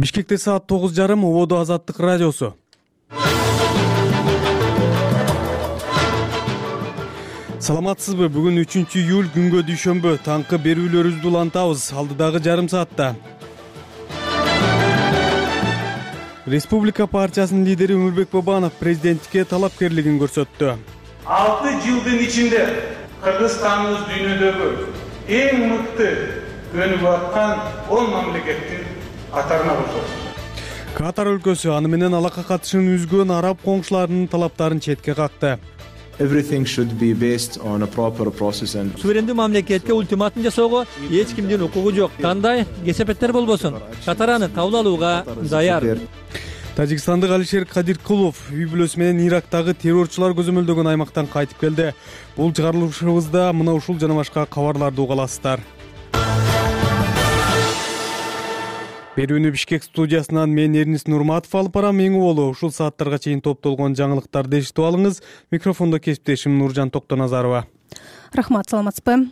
Бишкекте саат 9:30 Ободо Азаттык радиосу. Саламатсызбы? Бүгүн 3-июль күнгө дүйшөмбү. Таңкы берүүлөрүбүздү улантабыз. Алдыдагы жарым саатта. Республика партиясынын лидери Өмүрбек Бабанов президенттикке талапкерлигин көрсөттү. 6 жылдын ичинде Кыргызстаныбыз дүйнөдөгү эң мыкты өнүгүп аткан 10 мамлекеттин катарына кошулду. Катар өлкөсү аны менен алакка катышын үзгөн араб коңшуларынын талаптарын четке какты. Everything should be based on a proper process and Суверендүү мамлекетке ультиматум жасоого эч кимдин укугу жок. Кандай кесепеттер болбосун, Катар аны кабыл алууга даяр. Тажикстандык Алишер Кадиркулов үй бүлөсү менен Ирактагы террорчулар көзөмөлдөгөн аймактан кайтып келди. Бул чыгарылышыбызда мына ушул жана башка кабарларды уга аласыздар. Берүүнү Бишкек студиясынан мен Эрнис Нурматов алып барам. Эң болу ушул сааттарга чейин топтолгон жаңылыктарды эшитип алыңыз. Микрофондо кесиптешим Нуржан Токтоназарова. Рахмат, саламатсызбы?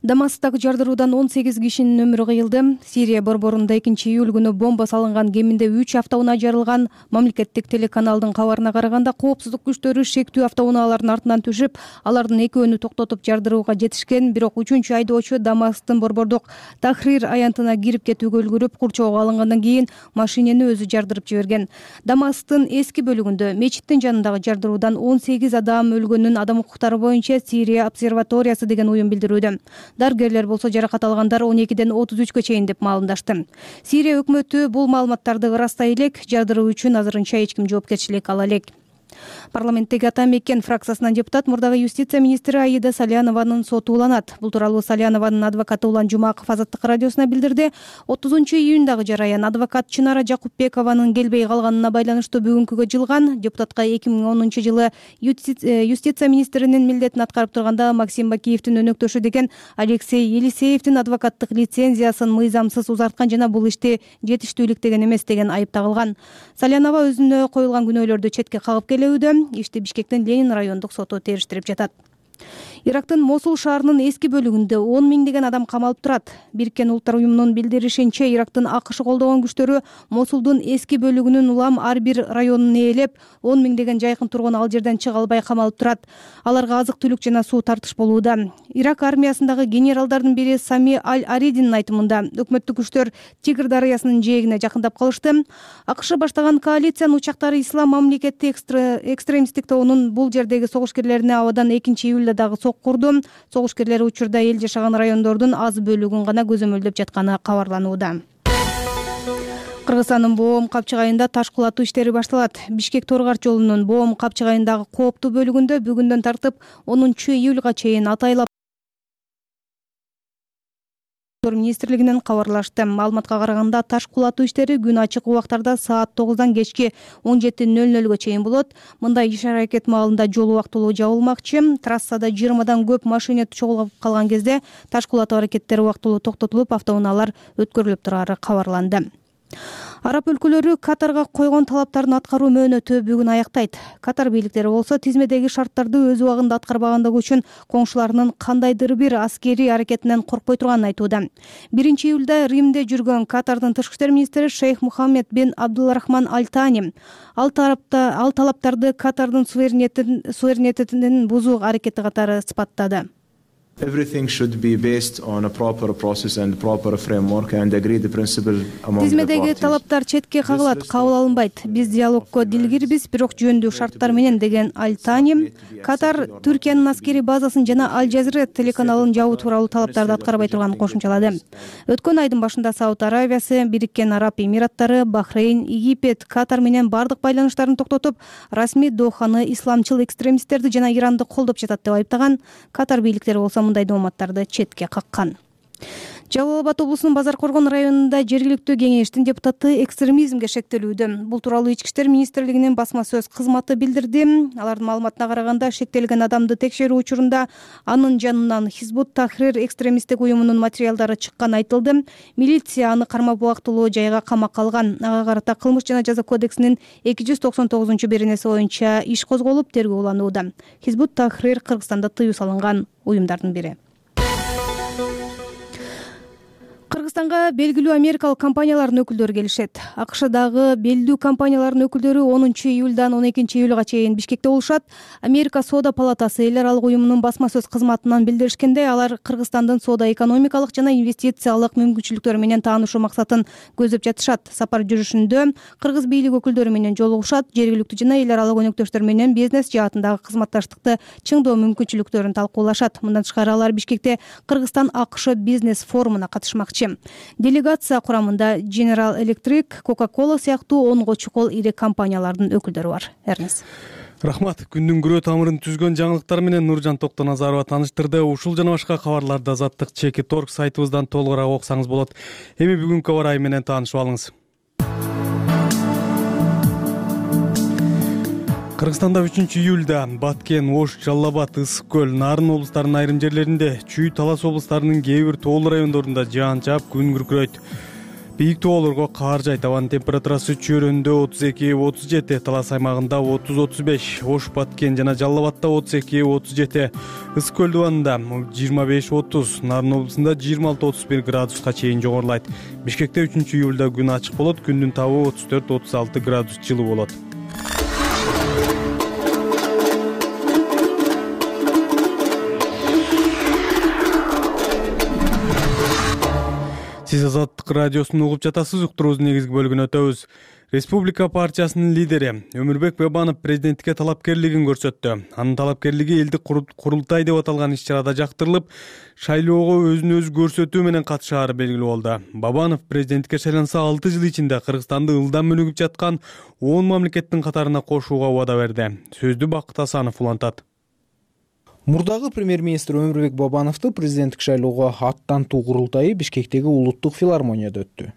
Дамасктагы жардыруудан 18 кишинин өмүрү кыйылды. Сирия борборунда 2-июль күнү бомба салынган кеминде 3 автоунаа жарылган. Мамлекеттик телеканалдын кабарына караганда коопсуздук күчтөрү шектүү автоунаалардын артынан түшүп, алардын экөөнү токтотуп жардырууга жетишкен. Бирок 3-чү айдоочу Дамасктын борбордук Тахрир аянтына кирип кетүүгө үлгүрүп, курчоого алынгандан кийин машинени өзү жардырып жиберген. Дамасктын эски бөлүгүндө мечиттин жанындагы жардыруудан 18 адам өлгөнүн Адам укуктары боюнча Сирия обсерваториясы деген уюм билдирүүдө. Дарыгерлер болсо жаракат алгандар 12-ден 33-кө чейин деп маалымдашты. Сирия өкмөтү бул маалыматтарды ырастай элек, жардыруу үчүн азырынча эч ким жоопкерчилик ала элек. Парламенттеги Ата Мекен фракциясынан депутат мурдагы юстиция министри Аида Салянованын соту уланат. Бул тууралуу Салянованын адвокаты Улан Жумаков Азаттык радиосуна билдирди. 30-июндагы жараян адвокат Чынара Жакупбекованын келбей калганына байланыштуу бүгүнкүгө жылган. Депутатка 2010-жылы юстиция министринин милдетин аткарып турганда Максим Бакиевдин өнөктөшү деген Алексей Елисеевдин адвокаттык лицензиясын мыйзамсыз узарткан жана бул ишти жетиштүүлүктөгөн эмес деген айып тагылган. Салянова өзүнө коюлган күнөөлөрдү четке кагып келүүдө. Ишти Бишкектин Ленин райондук соту териштирип жатат. Ирактын Мосул шаарынын эски бөлүгүндө 10 миңдеген адам камалып турат. Бириккен Улуттар уюмунун билдиришинче, Ирактын АКШ колдогон күчтөрү Мосулдун эски бөлүгүнүн улам ар бир районун ээлеп, 10 миңдеген жайкын тургун ал жерден чыга албай камалып турат. Аларга азык-түлүк жана суу тартыш болууда. Ирак армиясындагы генералдардын бири Сами Аль-Аридинин айтымында, өкмөттүк күчтөр Тигр дарыясынын жээгине жакындап калышты. АКШ баштаган коалициянын учактары Ислам мамлекети экстремисттик тобунун бул жердеги согушкерлерине абадан 2-июлда дагы курду. Согушкерлер учурда эл жашаган райондордун аз бөлүгүн гана көзөмөлдөп жатканы кабарланууда. Кыргызстандын Боом Капчыгайында таш кулатуу иштери башталат. Бишкек Торгар жолунун Боом Капчыгайындагы кооптуу бөлүгүндө бүгүндөн тартып 10-июлга чейин атайлап министрлигинен кабарлашты. Маалыматка караганда таш кулатуу иштери күн ачык убактарда саат 9-дан кечки 17:00-гө чейин болот. Мындай иш-аракет маалында жол убактылуу жабылмакчы. Трассада 20-дан көп машина чогулуп калган кезде таш кулатуу аракеттери убактылуу токтотулуп, автоунаалар өткөрүлүп турары кабарланды. Араб өлкөлөрү Катарга койгон талаптарын аткаруу мөөнөтү бүгүн аяктайт. Катар бийликтери болсо тизмедеги шарттарды өз убагында аткарбагандыгы үчүн коңшуларынын кандайдыр бир аскерий аракетинен коркпой турганын айтууда. 1-июлда Римде жүргөн Катардын тышкы иштер министри Шейх Мухаммед бин Абдулрахман Аль-Тани ал талаптарды Катардын суверенитетин бузуу аракети катары сыпаттады. Everything should be based on a proper process and proper framework and agreed principle among the Тизмедеги parties. талаптар четке кагылат, кабыл алынбайт. Биз диалогко дилгирбиз, бирок жөндүү шарттар менен деген Аль-Тани. Катар Түркиянын аскерий базасын жана Аль-Жазира телеканалын жабуу тууралуу талаптарды аткарбай турганын кошумчалады. Өткөн айдын башында Сауд Аравиясы, Бириккен Араб Эмираттары, Бахрейн, Египет Катар менен бардык байланыштарын токтотуп, расмий Доханы исламчыл экстремисттерди жана Иранды колдоп жатат деп айыптаган. Катар бийликтери болсо мындай маалыматтарды четке каккан. Жалал Абад облусунун Базар Коргон районунда жергиликтүү кеңештин депутаты экстремизмге шектелүүдө. Бул тууралуу Ички иштер министрлигинин басма сөз кызматы билдирди. Алардын маалыматына караганда, шектелген адамды текшерүү учурунда анын жанынан Хизбут Тахрир экстремисттик уюмунун материалдары чыкканы айтылды. Милиция аны кармап убактылуу жайга камакка алган. Ага карата кылмыш жана жаза кодексинин 299-беренеси боюнча иш козголуп, тергөө уланууда. Хизбут Тахрир Кыргызстанда тыюу салынган уюмдардын бири. Кыргызстанга белгилүү америкалык компаниялардын өкүлдөрү келишет. АКШдагы белгилүү компаниялардын өкүлдөрү 10 июлдан 12 июлга чейин Бишкекте болушат. Америка Соода палатасы эл аралык уюмунун басма сөз кызматынан билдиришкендей, алар Кыргызстандын соода-экономикалык жана инвестициялык мүмкүнчүлүктөрү менен таанышуу максатын көздөп жатышат. Сапар жүрүшүндө кыргыз бийлик өкүлдөрү менен жолугушат, жергиликтүү жана эл аралык өнөктөштөр менен бизнес жаатындагы кызматташтыкты чыңдоо мүмкүнчүлүктөрүн талкуулашат. Мындан тышкары алар Бишкекте Кыргызстан-АКШ бизнес форумуна катышмакчы. Делегация курамында General Electric, Coca-Cola сыяктуу 10 чукул ири компаниялардын өкүлдөрү бар. Эрнес. Рахмат. Күндүн күрөө тамырын түзгөн жаңылыктар менен Нуржан Токтоназарова таныштырды. Ушул жана башка кабарларды Азаттык Чеки.org сайтыбыздан толугураак окусаңыз болот. Эми бүгүнкү кабар айы менен таанышып алыңыз. Кыргызстанда 3 июлда Баткен, Ош, Жалал Абад, Ысык көл, Нарын облустарынын айрым жерлеринде, Чүй, Талас облустарынын кээ бир тоолуу райондорунда жаан чаап, күн күркүрөйт. Бийик тоолорго каар жайт. Абанын температурасы Чөйрөндө 32-37, Талас аймагында 30-35, Ош, Баткен жана Жалал Абадта 32-37, Ысык көл дубанында 25-30, Нарын облусунда 26-31 градуска чейин жогорулайт. Бишкекте 3 июлда күн ачык болот, күндүн табы 34-36 градус жылуу болот. Сиз Азаттык радиосун угуп жатасыз. Уктуруубуздун негизги бөлүгүнө өтөбүз. Республика партиясынын лидери Өмүрбек Бабанов президенттикке талапкерлигин көрсөттү. Анын талапкерлиги элдик курултай деп аталган иш-чарада жактырылып, шайлоого өзүн өзү көрсөтүү менен катышаары белгилүү болду. Бабанов президенттикке шайланса 6 жыл ичинде Кыргызстанды ылдам өнүгүп жаткан 10 мамлекеттин катарына кошууга убада берди. Сөздү Бакыт Асанов улантат. Мурдагы премьер-министр Өмүрбек Бабановду президенттик шайлоого аттантуу курултайы Бишкектеги улуттук филармонияда өттү.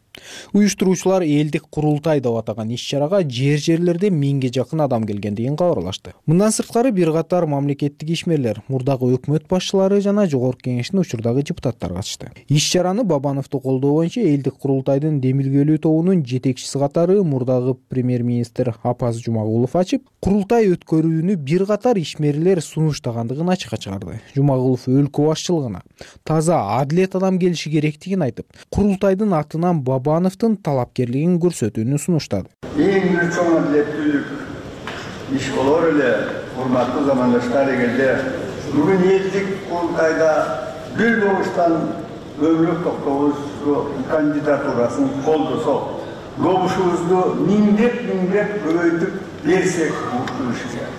Уюштуруучулар элдик курултай деп атаган иш-чарага жерлерде 1000ге жакын адам келгендигин кабарлашты. Мындан сырткары бир катар мамлекеттик ишмерлер, мурдагы өкмөт башчылары жана Жогорку Кеңештин учурдагы депутаттары катышты. Иш-чараны Бабановду колдоо боюнча элдик курултайдын демилгелүү тобунун жетекчиси катары мурдагы премьер-министр Апаз Жумагулов ачып, курултай өткөрүүнү бир катар ишмерлер сунуштагандыгын ачыкка чыгарды. Жумагулов өлкө башчылыгына таза адилет адам келиши керектигин айтып, курултайдын атынан Бабановдун талапкерлигин көрсөтүүнү сунуштады. Эң бир чоң адилеттүүлүк иш болор эле, урматтуу замандаштар, эгерде бүгүн элдик курултайда бир добуштан Өмүрбек Токтогуловдун кандидатурасын колдосок, добушубузду миңдеп көбөйтүп берсек болушу.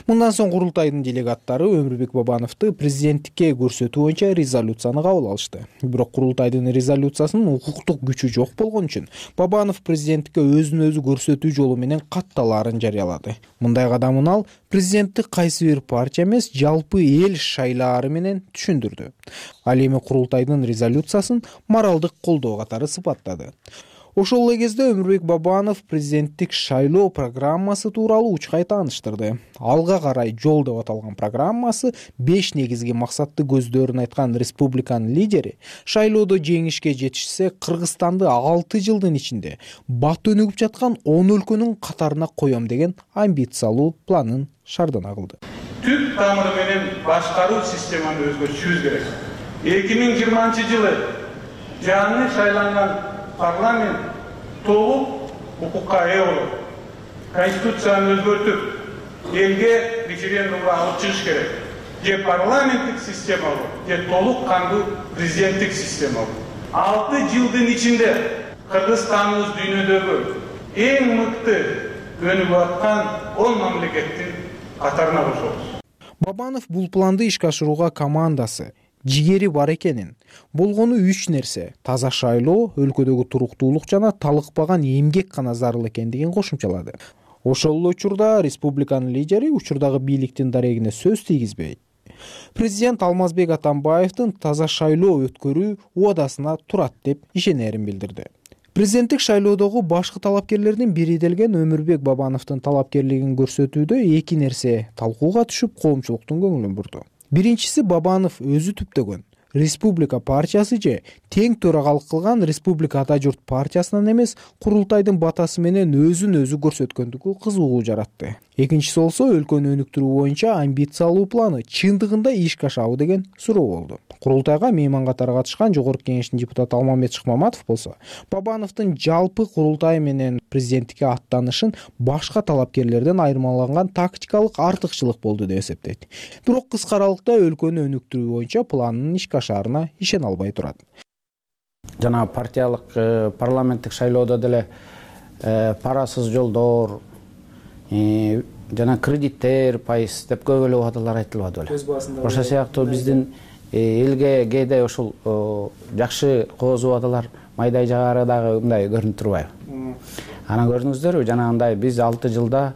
Мындан соң курултайдын делегаттары Өмүрбек Бабановду президенттикке көрсөтүү боюнча резолюцияны кабыл алышты. Бирок курултайдын резолюциясынын укуктук күчү жок болгон үчүн Бабанов президенттикке өзүн өзү көрсөтүү жолу менен катталаарын жарыялады. Мындай кадамын ал президенттик кайсы бир партия эмес, жалпы эл шайлаары менен түшүндүрдү. Ал эми курултайдын резолюциясын моралдык колдоо катары сыпаттады. Ошол эле кезде Өмүрбек Бабанов президенттик шайлоо программасы тууралуу учкай тааныштырды. Алга карай жол деп аталган программасы 5 негизги максатты көздөрүн айткан республиканын лидери шайлоодо жеңишке жетишсе, Кыргызстанды 6 жылдын ичинде бат өнүгүп жаткан 10 өлкөнүн катарына коем деген амбициялуу планын шардана кылды. Түп тамыры менен башкаруу системаны өзгөртүшүбүз керек. 2020-жылы жаңы шайланган парламент толук укукка ээ болот. Конституцияны өзгөртүп, элге референдумга алып чыгыш керек. Же парламенттик система болот, же толук кандуу президенттик система болот. 6 жылдын ичинде Кыргызстаныбыз дүйнөдөгү эң мыкты өнүгүп аткан 10 мамлекеттин катарына кошобуз. Бабанов бул планды ишке ашырууга командасы жигери бар экенин, болгону 3 нерсе: таза шайлоо, өлкөдөгү туруктуулук жана талыкпаган эмгек гана зарыл экендигин кошумчалады. Ошол эле учурда республиканын лидери учурдагы бийликтин дарегине сөз тийгизбей, президент Алмазбек Атамбаевдин таза шайлоо өткөрүү убадасына турат деп ишенерин билдирди. Президенттик шайлоодогу башкы талапкерлердин бири делген Өмүрбек Бабановдун талапкерлигин көрсөтүүдө 2 нерсе талкууга түшүп, коомчулуктун көңүлүн бурду. Биринчиси, Бабанов өзү түптөгөн Республика партиясы же тең төрагалык кылган Республика Ата журт партиясынан эмес, курултайдын батасы менен өзүн өзү көрсөткөндүгү кызыгуу жаратты. Экинчиси болсо өлкөнү өнүктүрүү боюнча амбициялуу планы чындыгында ишке ашабы деген суроо болду. Курултайга мейман катары катышкан Жогорку Кеңештин депутаты Алмамбет Шыкмаматов болсо, Бабановдун жалпы курултай менен президенттикке аттанышын башка талапкерлерден айырмаланган тактикалык артыкчылык болду деп эсептейт. Бирок кыска аралыкта өлкөнү өнүктүрүү боюнча планынын ишке ашаарына ишене албай турат. Жана партиялык парламенттик шайлоодо деле парасыз жолдор, жана кредиттер, пайыз деп көп эле убадалар айтылбады беле. Ошол сыяктуу биздин элге кээде ушул жакшы кооз убадалар майдай жагары дагы мындай көрүнүп турбайбы? Анан көрдүңүздөрбү, жанагындай биз 6 жылда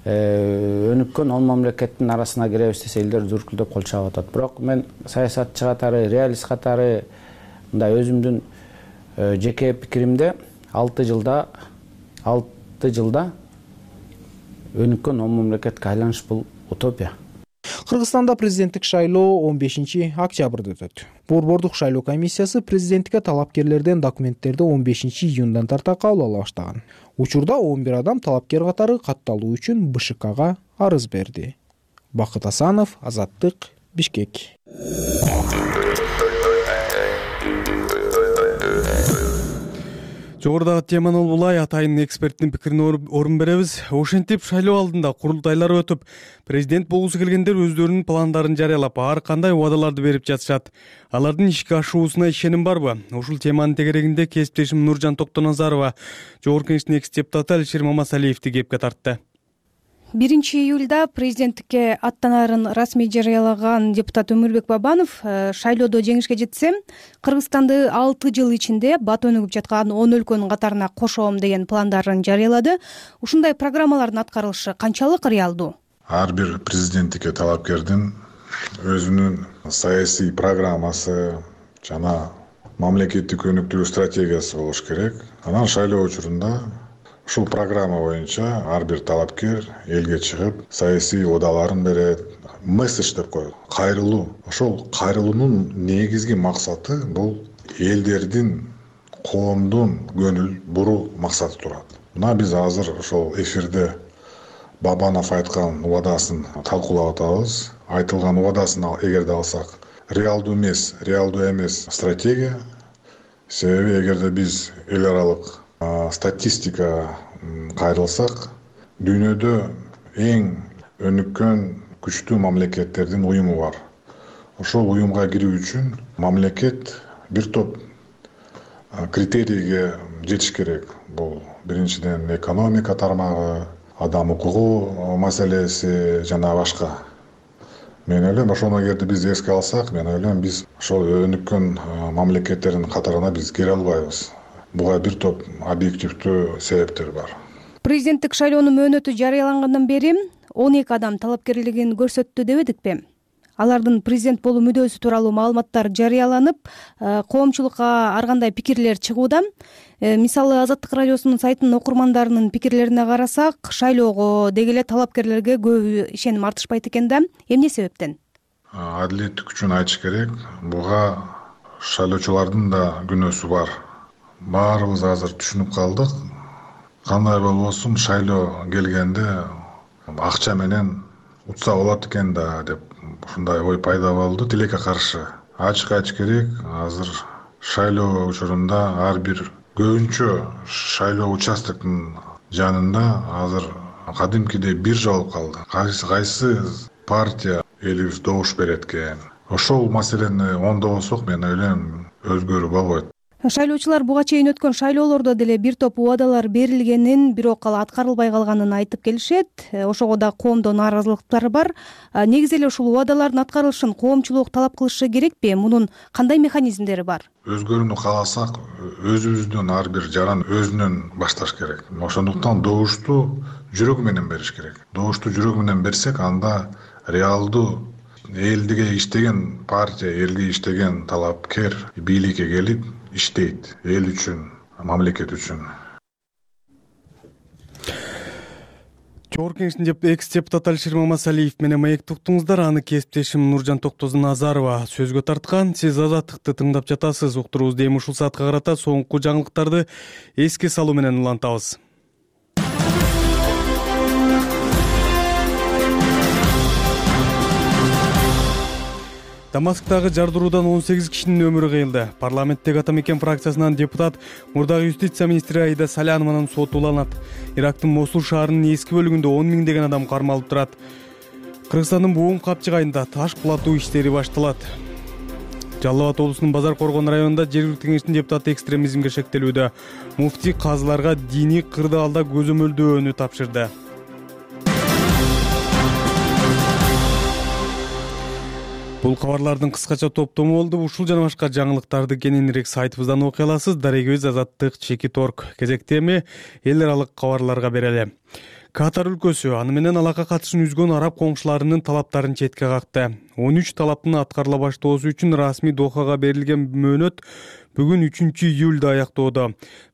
өнүккөн 10 мамлекеттин арасына киребиз десе элдер дүркүлдөп кол чаап атат. Бирок мен саясатчы катары, реалист катары мындай өзүмдүн жеке пикиримде 6 жылда өнүккөн 10 мамлекетке айланыш бул утопия. Кыргызстанда президенттик шайлоо 15-октябрда өтөт. Борбордук шайлоо комиссиясы президенттикке талапкерлерден документтерди 15-июндан тарта кабыл ала баштаган. Учурда 11 адам талапкер катары катталуу үчүн БШКга арыз берди. Бакыт Асанов, Азаттык, Бишкек. Жогорудагы теманы улай атайын эксперттин пикирине орун беребиз. Ошентип шайлоо алдында курултайлар өтүп, президент болгусу келгендер өздөрүнүн пландарын жарыялап, ар кандай убадаларды берип жатышат. Алардын ишке ашуусуна ишеним барбы? Ушул теманын тегерегинде кесиптешим Нуржан Токтоназарова Жогорку Кеңештин экс-депутаты Алишер Мамасалиевди кепке тартты. 1-июлда президенттикке аттанаарын расмий жарыялаган депутат Өмүрбек Бабанов шайлоодо жеңишке жетсе, Кыргызстанды 6 жыл ичинде бат өнүгүп жаткан 10 өлкөнүн катарына кошом деген пландарын жарыялады. Ушундай программалардын аткарылышы канчалык реалдуу? Ар бир президенттикке талапкердин өзүнүн саясий программасы жана мамлекеттик өнүктүрүү стратегиясы болуш керек. Анан шайлоо учурунда ушул программа боюнча ар бир талапкер элге чыгып, саясий убадаларын берет, месседж деп коет. Кайрылуу. Ошол кайрылуунун негизги максаты бул элдердин, коомдун көңүл буруу максаты турат. Мына биз азыр ошол эфирде Бабанов айткан убадасын талкуулап атабыз. Айтылган убадасын эгерде алсак, реалдуу эмес стратегия. Себеби эгерде биз эл аралык статистика кайрылсак, дүйнөдө эң өнүккөн күчтүү мамлекеттердин уюму бар. Ошол уюмга кирүү үчүн мамлекет бир топ критерийге жетиш керек. Бул биринчиден экономика тармагы, адам укугу маселеси жана башка. Мен ойлойм, ошону эгерде биз эске алсак, мен ойлойм, биз ошол өнүккөн мамлекеттердин катарына биз кире албайбыз. Буга бир топ объективдүү себептер бар. Президенттик шайлоонун мөөнөтү жарыялангандан бери 12 адам талапкерлигин көрсөттү дебедикпи? Алардын президент болуу мүдөөсү тууралуу маалыматтар жарыяланып, коомчулукка ар кандай пикирлер чыгууда. Мисалы, Азаттык радиосунун сайтынын окурмандарынын пикирлерине карасак, шайлоого деги эле талапкерлерге көп ишеним артышпайт экен да. Эмне себептен? Адилеттик үчүн айтыш керек, буга шайлоочулардын да күнөөсү бар. Баарыбыз азыр түшүнүп калдык. Кандай болбосун шайлоо келгенде акча менен утса болот экен да деп ушундай ой пайда болду. Тилекке каршы. Ачык айтыш керек, азыр шайлоо учурунда ар бир көбүнчө шайлоо участоктун жанында азыр кадимкидей биржа болуп калды. Кайсы партия элибиз добуш берет экен. Ошол маселени оңдобосок, мен ойлойм, өзгөрүү болбойт. Шайлоочулар буга чейин өткөн шайлоолордо деле бир топ убадалар берилгенин, бирок ал аткарылбай калганын айтып келишет. Ошого да коомдо нааразылыктар бар. Негизи эле ушул убадалардын аткарылышын коомчулук талап кылышы керекпи? Мунун кандай механизмдери бар? Өзгөрүүнү кааласак, өзүбүздүн ар бир жаран өзүнөн башташ керек. Ошондуктан добушту жүрөк менен бериш керек. Добушту жүрөк менен берсек, анда реалдуу элге иштеген партия, элге иштеген талапкер бийликке келип иштейт, эл үчүн, мамлекет үчүн. Жогорку Кеңештин экс депутаты Алишер Мамасалиев менен маекти уктуңуздар. Аны кесиптешим Нуржан Токтозун-Назарова сөзгө тарткан. Сиз Азаттыкты тыңдап жатасыз. Уктуруубузду эми ушул саатка карата соңку жаңылыктарды эске салуу менен улантабыз. Дамасктагы жардыруудан 18 кишинин өмүрү кыйылды. Парламенттеги Ата Мекен фракциясынан депутат мурдагы юстиция министри Аида Салянованын сотуланат. Ирактын Мосул шаарынын эски бөлүгүндө 10 миңдеген адам кармалып турат. Кыргызстандын Буум капчыгайында таш кулатуу иштери башталат. Жалал Абад облусунун Базар Коргон районунда жергиликтүү кеңештин депутаты экстремизмге шектелүүдө. Муфтий казыларга диний кырдаалда көзөмөлдөөнү тапшырды. Бул кабарлардын кыскача топтому болду. Ушул жана башка жаңылыктарды кененирээк сайтыбыздан окуй аласыз. Дарегөз Азаттык Чекит Орг. Кезекте эми эл аралык кабарларга берели. Катар өлкөсү аны менен алакка катышын үзгөн араб коңшуларынын талаптарын четке какты. 13 талаптын аткарыла баштоосу үчүн расмий Дохага берилген мөөнөт бүгүн 3-июлда аяктоодо.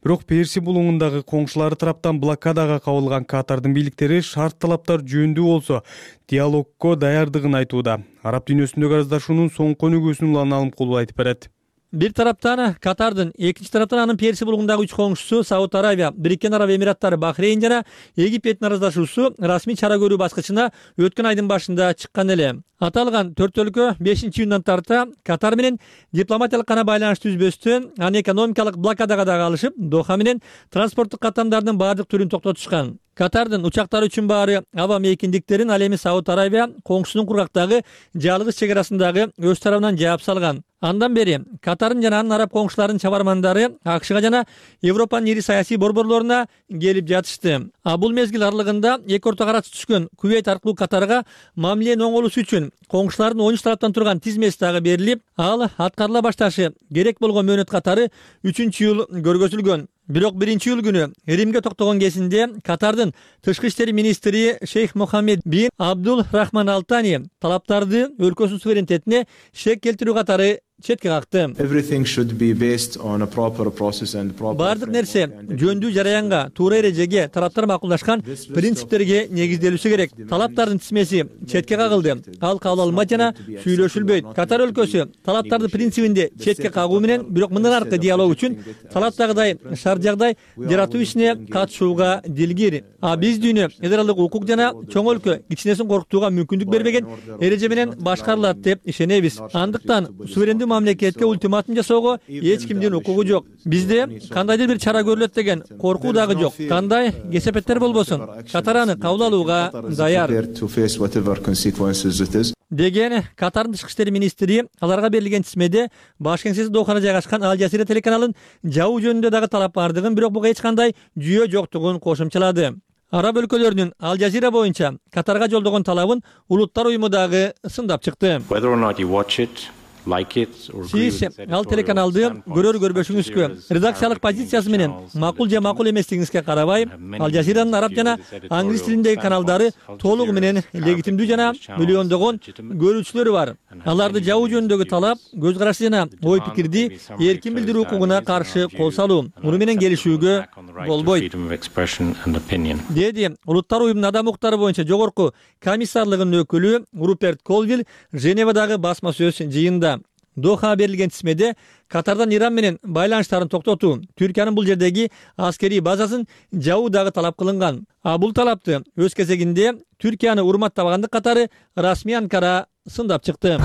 Бирок Перси булуңундагы коңшулары тараптан блокадага кабылган Катардын бийликтери шарт талаптар жөнүндүү болсо диалогго даярдыгын айтууда. Араб дүйнөсүндөгү араздашуунун соңку өнүгүүсүн Улан Алымкулов айтып берет. Бир тараптан Катардын, экинчи тараптан анын Перси булуңундагы 3 коңшусу Сауд Арабия, Бириккен Араб Эмираттары, Бахрейн жана Египеттин араздашуусу расмий чара көрүү баскычына өткөн айдын башында чыккан эле. Аталган 4 өлкө 5-июндан тарта Катар менен дипломатиялык гана байланыш түзбөстөн, аны экономикалык блокадага да алышып, Доха менен транспорттук каттамдардын баардык түрүн токтотушкан. Катардын учактары үчүн баары аба мейкиндиктерин ал эми Сауд Арабия коңшусунун кургактагы жалгыз чек арасындагы өз тарабынан жаап салган. Андан бери Катардын жана анын араб коңшуларынын чабармандары АКШга жана Европанын ири саясий борборлоруна келип жатышты. Бул мезгил аралыгында эки ортого арасы түшкөн Кувейт аркылуу Катарга мамиленин оңолуусу үчүн коңшулардын 13 тараптан турган тизмеси дагы берилип, ал аткарыла башташы керек болгон мөөнөт катары 3-июл көргөзүлгөн. Бирок 1-июл күнү Римге токтогон кезинде Катардын тышкы иштер министри Шейх Мохаммед бин Абдул Рахман Алтани талаптарды өлкөсүнүн суверенитетине шек келтирүү катары четке какты. Бардык нерсе жөндүү жараянга, туура эрежеге, тараптар макулдашкан принциптерге негизделүүсү керек. Талаптардын тизмеси четке кагылды. Ал кабыл алынбайт жана сүйлөшүлбөйт. Катар өлкөсү талаптарды принцибинде четке кагуу менен, бирок мындан аркы диалог үчүн талаптагыдай шарт жагдай жаратуу ишине катышууга дилгир. Биз дүйнө эл аралык укук жана чоң өлкө кичинесин коркутууга мүмкүндүк бербеген эреже менен башкарылат деп ишенебиз. Андыктан суверендүү мамлекетке ультиматум жасоого эч кимдин укугу жок. Бизде кандайдыр бир чара көрүлөт деген коркуу дагы жок. Кандай кесепеттер болбосун, Катар аны кабыл алууга даяр деген Катардын тышкы иштер министри аларга берилген тизмеде баш кеңсеси Дохада жайгашкан Ал Жазира телеканалын жабуу жөнүндө дагы талап бардыгын, бирок буга эч кандай жүйө жоктугун кошумчалады. Араб өлкөлөрүнүн Ал Жазира боюнча Катарга жолдогон талабын Улуттар уюму дагы сындап чыкты. Сиз ал телеканалды көрөр-көрбөшүңүзгө, редакциялык позициясы менен макул же макул эместигиңизге карабай, Ал Жазиранын араб жана англис тилиндеги каналдары толугу менен легитимдүү жана миллиондогон көрүүчүлөрү бар. Аларды жабуу жөнүндөгү талап көз карашы жана ой пикирди эркин билдирүү укугуна каршы кол салуу. Муну менен келишүүгө болбойт, деди Улуттар уюмунун адам укуктары боюнча жогорку комиссарлыгынын өкүлү Руперт Колвилл Женевадагы басма сөз жыйында. Дохага берилген тизмеде Катардан Иран менен байланыштарын токтотуу, Түркиянын бул жердеги аскерий базасын жабуу дагы талап кылынган. Бул талапты өз кезегинде Түркияны урматтабагандык катары расмий Анкара сындап чыкты.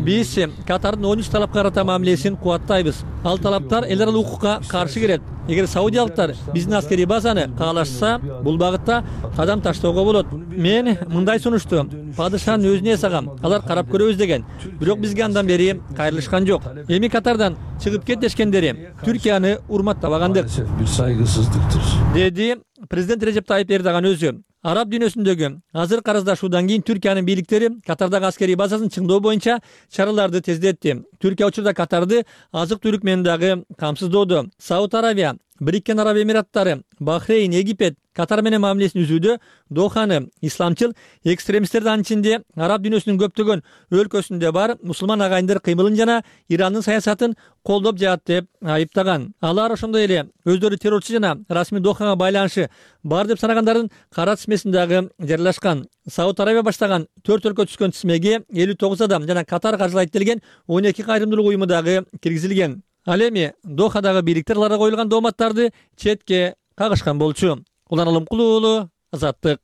Биз Катардын 13 талапка карата мамилесин кубаттайбыз. Ал талаптар эл аралык укукка каршы келет. Эгер саудиялыктар биздин аскерий базаны каалашса, бул багытта кадам таштоого болот. Мен мындай сунушту падышанын өзүнө эсагам, алар карап көрөбүз деген. Бирок бизге андан бери кайрылышкан жок. Эми Катардан чыгып кет дешкендери Түркияны урматтабагандык. Бир сайгысыздыктыр, деди президент Режеп Тайип Эрдоган өзү. Араб дүйнөсүндөгү азыркы араздашуудан кийин Түркиянын бийликтери Катардагы аскерий базасын чыңдоо боюнча чараларды тездетти. Түркия учурда Катарды азык-түлүк менен дагы камсыздоодо. Сауд Арабия Бириккен Араб Эмираттары, Бахрейн, Египет, Катар менен мамилесин үзүүдө Доханы исламчыл экстремисттердин анчинде араб дүйнөсүнүн көптөгөн өлкөсүндө бар мусулман агайындар кыймылын жана Ирандын саясатын колдоп жатат деп айыптаган. Алар ошондой эле өздөрү террорчу жана расмий Дохага байланышы бар деп санагандардын кара тизмесин дагы жарыялашкан. Сауд Арабия баштаган 4 өлкө түшкөн тизмеге 59 адам жана Катар каржылайт делген 12 кайрымдуулук уюму дагы киргизилген. Ал эми Дохадагы бийликтер аларга коюлган дооматтарды четке кагышкан болчу. Улан Алымкулуу уулу, Азаттык.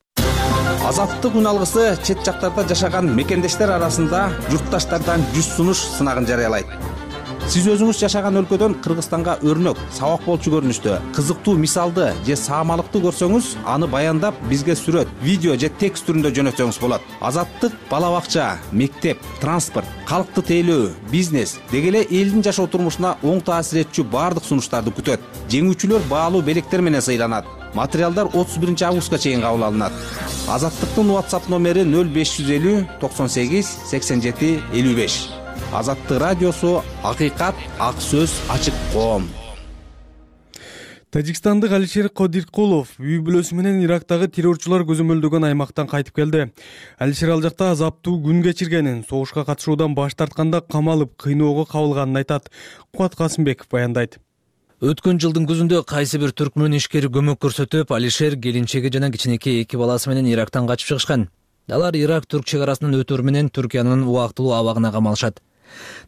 Азаттык үн алгысы чет жактарда жашаган мекендештер арасында журтташтардан 100 сунуш сынагын жарыялайт. Сиз өзүңүз жашаган өлкөдөн Кыргызстанга өрнөк, сабак болчу көрүнүштө, кызыктуу мисалды же саамалыкты көрсөңүз, аны баяндап бизге сүрөт, видео же текст түрүндө жөнөтсөңүз болот. Азаттык бала бакча, мектеп, транспорт, калкты тейлөө, бизнес деги эле элдин жашоо турмушуна оң таасир этчү баардык сунуштарды күтөт. Жеңүүчүлөр баалуу белектер менен сыйланат. Материалдар 31 августка чейин кабыл алынат. Азаттыктын WhatsApp номери 0550 98 87 55. Азаттык радиосу, акыйкат, ак сөз, ачык коом. Тажикстандык Алишер Кодиркулов үй бүлөсү менен Ирактагы террорчулар көзөмөлдөгөн аймактан кайтып келди. Алишер ал жакта азаптуу күн кечиргенин, согушка катышуудан баш тартканда камалып, кыйноого кабылганын айтат. Кубат Касымбеков баяндайт. Өткөн жылдын күзүндө кайсы бир түркмөн ишкери көмөк көрсөтүп, Алишер келинчеги жана кичинекей 2 баласы менен Ирактан качып чыгышкан. Алар Ирак-Түрк чек арасынын өтөр менен Түркиянын убактылуу абагына камалышат.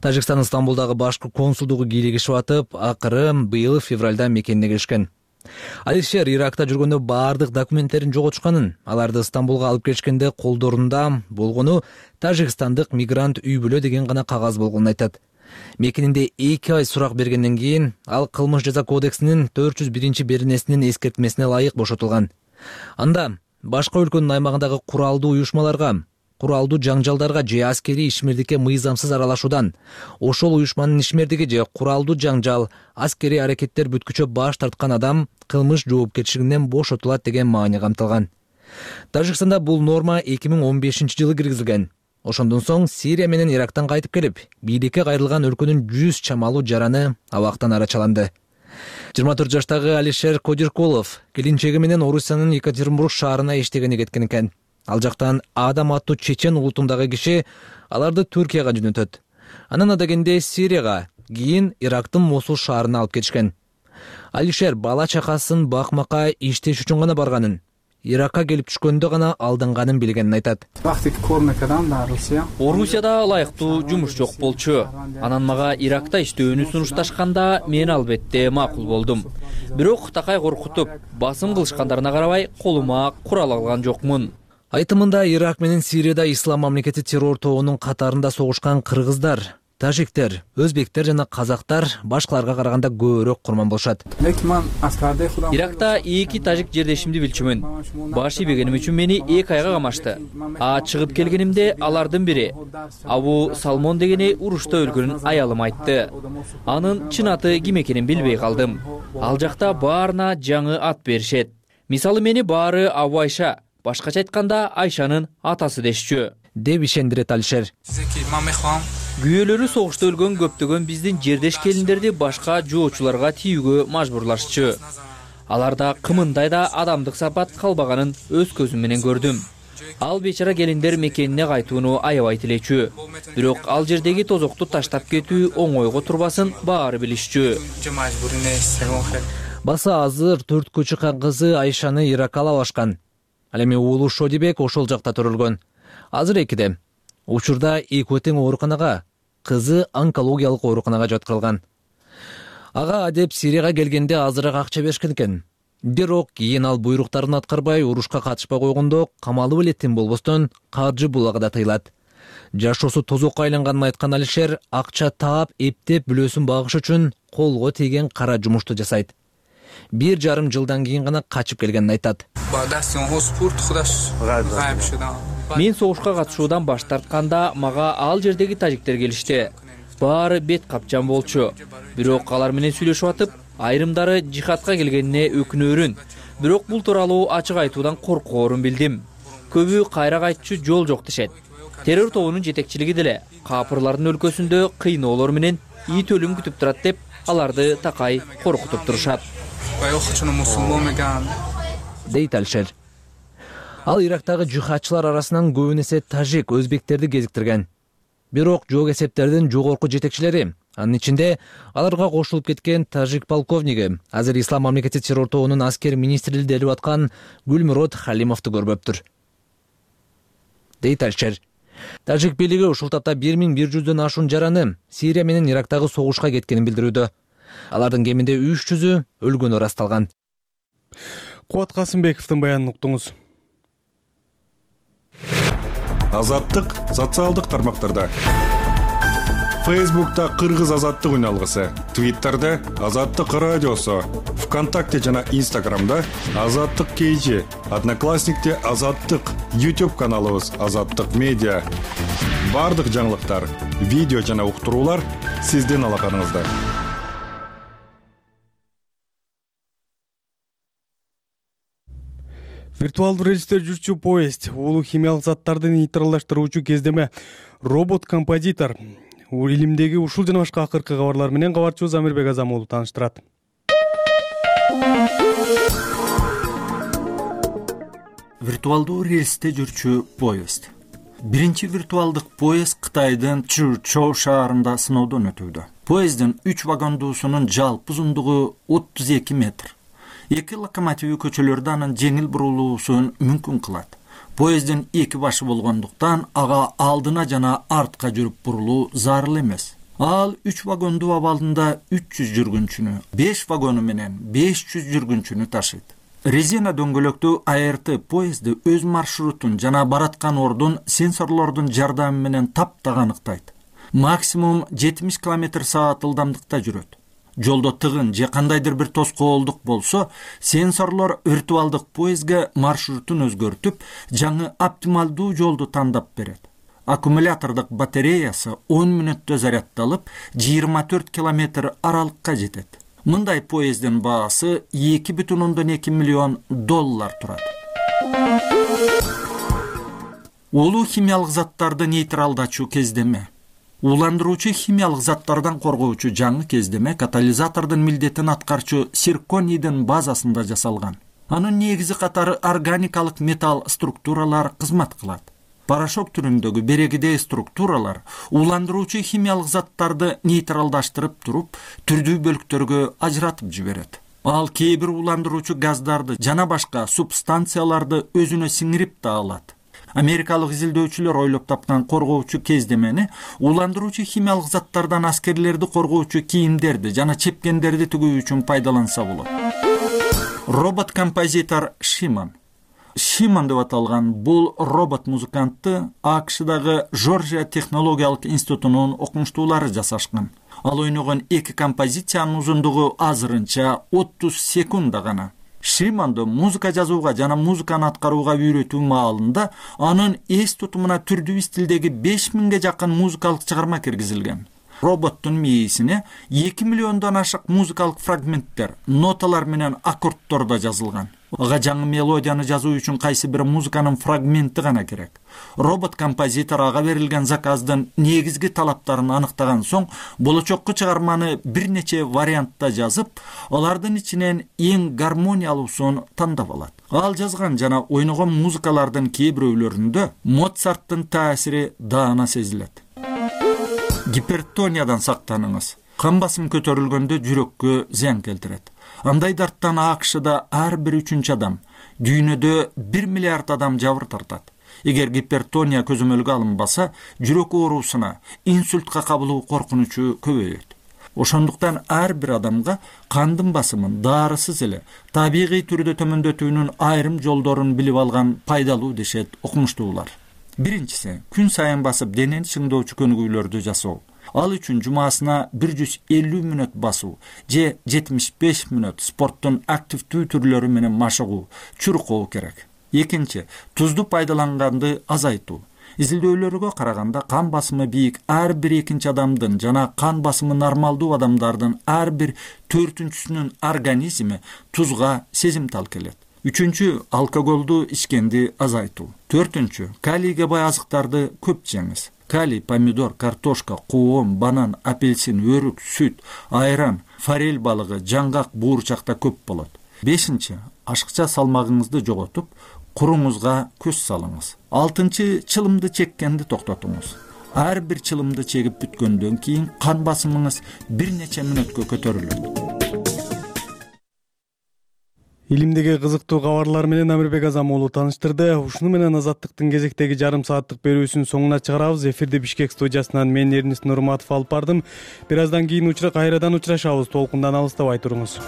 Тажикстан Стамбулдагы башкы консулдугу кийлигишип атып, акыры быйыл февралда мекенине киришкен. Алишер Иракта жүргөндө баардык документтерин жоготушканын, аларды Стамбулга алып келишкенде колдорунда болгону тажикстандык мигрант үй бүлө деген гана кагаз болгонун айтат. Мекенинде 2 ай сурак бергенден кийин ал кылмыш жаза кодексинин 401-беренесинин эскертмесине ылайык бошотулган. Анда башка өлкөнүн аймагындагы куралдуу уюшмаларга, куралдуу жаңжалдарга же аскерий ишмердикке мыйзамсыз аралашуудан, ошол уюшманын ишмердиги же куралдуу жаңжал, аскерий аракеттер бүткүчө баш тарткан адам кылмыш жоопкерчилигинен бошотулат деген маани камтылган. Тажикстанда бул норма 2015-жылы киргизилген. Ошондон соң Сирия менен Ирактан кайтып келип, бийликке кайрылган өлкөнүн 100 чамалуу жараны абактан арачаланды. 24 жаштагы Алишер Кодиркулов келинчеги менен Орусиянын Екатеринбург шаарына иштегени кеткен экен. Ал жактан Адам аттуу чечен улутундагы киши аларды Түркияга жөнөтөт. Анан адегенде Сирияга, кийин Ирактын Мосул шаарына алып кетишкен. Алишер бала чакасын бакмакка иштеш үчүн гана барганын, Иракка келип түшкөндө гана алданганын билгенин айтат. Орусияда ылайыктуу жумуш жок болчу. Анан мага Иракта иштөөнү сунушташканда мен албетте макул болдум. Бирок такай коркутуп, басым кылышкандарына карабай колума курал алган жокмун. Айтымында Ирак менен Сирияда Ислам мамлекети террор тобунун катарында согушкан кыргыздар, тажиктер, өзбектер жана казактар башкаларга караганда көбүрөөк курман болушат. Иракта 2 тажик жердешимди билчүмүн. Баш ийбегеним үчүн мени 2 айга камашты. Чыгып келгенимде алардын бири Абу Салмон дегени урушта өлгөнүн аялым айтты. Анын чын аты ким экенин билбей калдым. Ал жакта баарына жаңы ат беришет. Мисалы мени баары Абу Айша, башкача айтканда Айшанын атасы дешчү, деп ишендирет Алишер. Күйөөлөрү согушта өлгөн көптөгөн биздин жердеш келиндерди башка жоочуларга тийүүгө мажбурлашчу. Аларда кымындай да адамдык сапат калбаганын өз көзүм менен көрдүм. Ал бечара келиндер мекенине кайтууну аябай тилечү. Бирок ал жердеги тозокту таштап кетүү оңойго турбасын баары билишчү. Басы азыр 4 чыккан кызы Айшаны Иракка алышкан. Ал эми уулу Шодибек ошол жакта төрөлгөн. Азыр 2де. Учурда экөө тең ооруканага, кызы онкологиялык ооруканага жаткырылган. Ага деп Сирияга келгенде азыраак акча беришкен экен. Бирок кийин ал буйруктарын аткарбай урушка катышпай койгондо камалып элеттин болбостон каржы булагы да тыйылат. Жашоосу тозокко айланганын айткан Алишер акча таап, эптеп бүлөсүн багыш үчүн колго тийген кара жумушту жасайт. 1,5 жылдан кийин гана качып келгенин айтат. Мен согушка катышуудан баш тартканда мага ал жердеги тажиктер келишти. Баары бет капчан болчу. Бирок алар менен сүйлөшүп атып, айрымдары жихадка келгенине өкүнөөрүн. Бирок бул тууралуу ачык айтуудан коркоорун билдим. Көбү кайра кайтчу жол жок дешет. Террор тобунун жетекчилиги деле капырлардын өлкөсүндө кыйноолор менен ит өлүм күтүп турат деп аларды такай коркутуп турушат. дейт Алишер. Ал Ирактагы жихадчылар арасынан көбүн эсе тажик, өзбектерди кезиктирген. Бирок жок эсептердин жогорку жетекчилери, анын ичинде аларга кошулуп кеткен тажик полковниги, азыр Ислам мамлекети террор тобунун аскер министри делип аткан Гүлмурод Халимовду көрбөптүр, дейт Алишер. Тажик бийлиги ушул тапта 1100дөн ашуун жараны Сирия менен Ирактагы согушка кеткенин билдирүүдө. Алардын кеминде 300-ү өлгөнү ырасталган. Кубат Касымбековдун баянын уктуңуз. Азаттык социалдык тармактарда. Фейсбукта Кыргыз азаттык үналгысы, Твиттерде Азаттык радиосу, ВКонтакте жана Инстаграмда Азаттык KG, Одноклассникте Азаттык, YouTube каналыбыз Азаттык медиа. Бардык жаңылыктар, видео жана уктуруулар сиздин алаканыңызда. Виртуалдуу рельсте жүрчү поезд, улуу химиялык заттарды нейтралдаштыруучу кездеме робот-композитор. Илимдеги ушул жана башка акыркы кабарлар менен кабарчыбыз Амирбек Азамуулу тааныштырат. Виртуалдуу рельсте жүрчү поезд. Биринчи виртуалдык поезд Кытайдын Чжучжоу шаарында сыноодон өтүүдө. Поезддин 3 вагондуусунун жалпы узундугу 32 метр. 2 локомотиви көчөлөрдө анын жеңил бурулуусун мүмкүн кылат. Поезддин 2 башы болгондуктан ага алдына жана артка жүрүп бурулуу зарыл эмес. Ал 3 вагондуу абалында 300 жүргүнчүнү, 5 вагону менен 500 жүргүнчүнү ташыйт. Резина дөңгөлөктүү АРТ поезди өз маршрутун жана бараткан ордун сенсорлордун жардамы менен таптак аныктайт. Максимум 70 км/с ылдамдыкта жүрөт. Жолдо тыгын же кандайдыр бир тоскоолдук болсо, сенсорлор виртуалдык поездге маршрутун өзгөртүп, жаңы оптималдуу жолду тандап берет. Аккумулятордук батареясы 10 мүнөттө заряддалып, 24 км аралыкка жетет. Мындай поезддин баасы $2,2 миллион турат. Улуу химиялык заттарды нейтралдачу кездеме. Ууландыруучу химиялык заттардан коргоочу жаңы кездеме катализатордун милдетин аткарчу цирконийдин базасында жасалган. Анын негизи катары органикалык металл структуралар кызмат кылат. Порошок түрүндөгү берегидей структуралар ууландыруучу химиялык заттарды нейтралдаштырып туруп, түрдүү бөлүктөргө ажыратып жиберет. Ал кээ бир ууландыруучу газдарды жана башка субстанцияларды өзүнө сиңирип да алат. Америкалык изилдөөчүлөр ойлоп тапкан коргоочу кездемени ууландыруучу химиялык заттардан аскерлерди коргоочу кийимдерди жана чепкендерди тигүү үчүн пайдаланса болот. Робот-композитор Шиман. Шиман деп аталган бул робот-музыкантты АКШдагы Жоржия технологиялык институтунун окумуштуулары жасашкан. Ал ойногон 2 композициянын узундугу азырынча 30 секунда гана. Шиманды музыка жазууга жана музыканы аткарууга үйрөтүү маалында анын эс тутумуна түрдүү стилдеги 5000ге жакын музыкалык чыгарма киргизилген. Роботтун мээсине 2 миллиондон ашык музыкалык фрагменттер, ноталар менен аккорддор да жазылган. Ага жаңы мелодияны жазуу үчүн кайсы бир музыканын фрагменти гана керек. Робот-композитор ага берилген заказдын негизги талаптарын аныктаган соң, болочокко чыгарманы бир нече вариантта жазып, алардын ичинен эң гармониялуусун тандап алат. Ал жазган жана ойногон музыкалардын кээ бирөөлөрүндө Моцарттын таасири даана сезилет. Гипертониядан сактаныңыз. Кан басым көтөрүлгөндө жүрөккө зыян келтирет. Андай дарттан АКШда ар бир 3-чү адам, дүйнөдө 1 миллиард адам жабыр тартат. Эгер гипертония көзөмөлгө алынбаса, жүрөк оорусуна, инсультка кабылуу коркунучу көбөйөт. Ошондуктан ар бир адамга кандын басымын дарысыз эле табигый түрдө төмөндөтүүнүн айрым жолдорун билип алган пайдалуу дешет окумуштуулар. Биринчиси, күн сайын басып денени чыңдоочу көнүгүүлөрдү жасоо. Ал үчүн жумасына 150 мүнөт басуу же 75 мүнөт спорттун активдүү түрлөрү менен машыгуу, чуркоо керек. Экинчи, тузду пайдаланганды азайтуу. Изилдөөлөргө караганда кан басымы бийик ар бир 2-нчи адамдын жана кан басымы нормалдуу адамдардын ар бир 4-сүнүн организми тузга сезимтал келет. Үчүнчү, алкоголду ичкенди азайтуу. Төртүнчү, калийге бай азыктарды көп жеңиз. калий, помидор, картошка, коом, банан, апельсин, өрүк, сүт, айран, форель балыгы, жаңгак, буурчакта көп болот. 5. Ашыкча салмагыңызды жоготуп, куруңузга көз салыңыз. 6. Чылымды чеккенди токтотуңуз. Ар бир чылымды чегип бүткөндөн кийин кан басымыңыз бир нече мүнөткө көтөрүлөт. Илимдеги кызыктуу кабарлар менен Амирбек Азам уулу тааныштырды. Ушуну менен Азаттыктын кезектеги жарым сааттык берүүсүн соңуна чыгарабыз. Эфирди Бишкек студиясынан мен Эрнис Нурматов алып бардым. Бир аздан кийин кайрадан учурашабыз. Толкундан алыстабай туруңуз.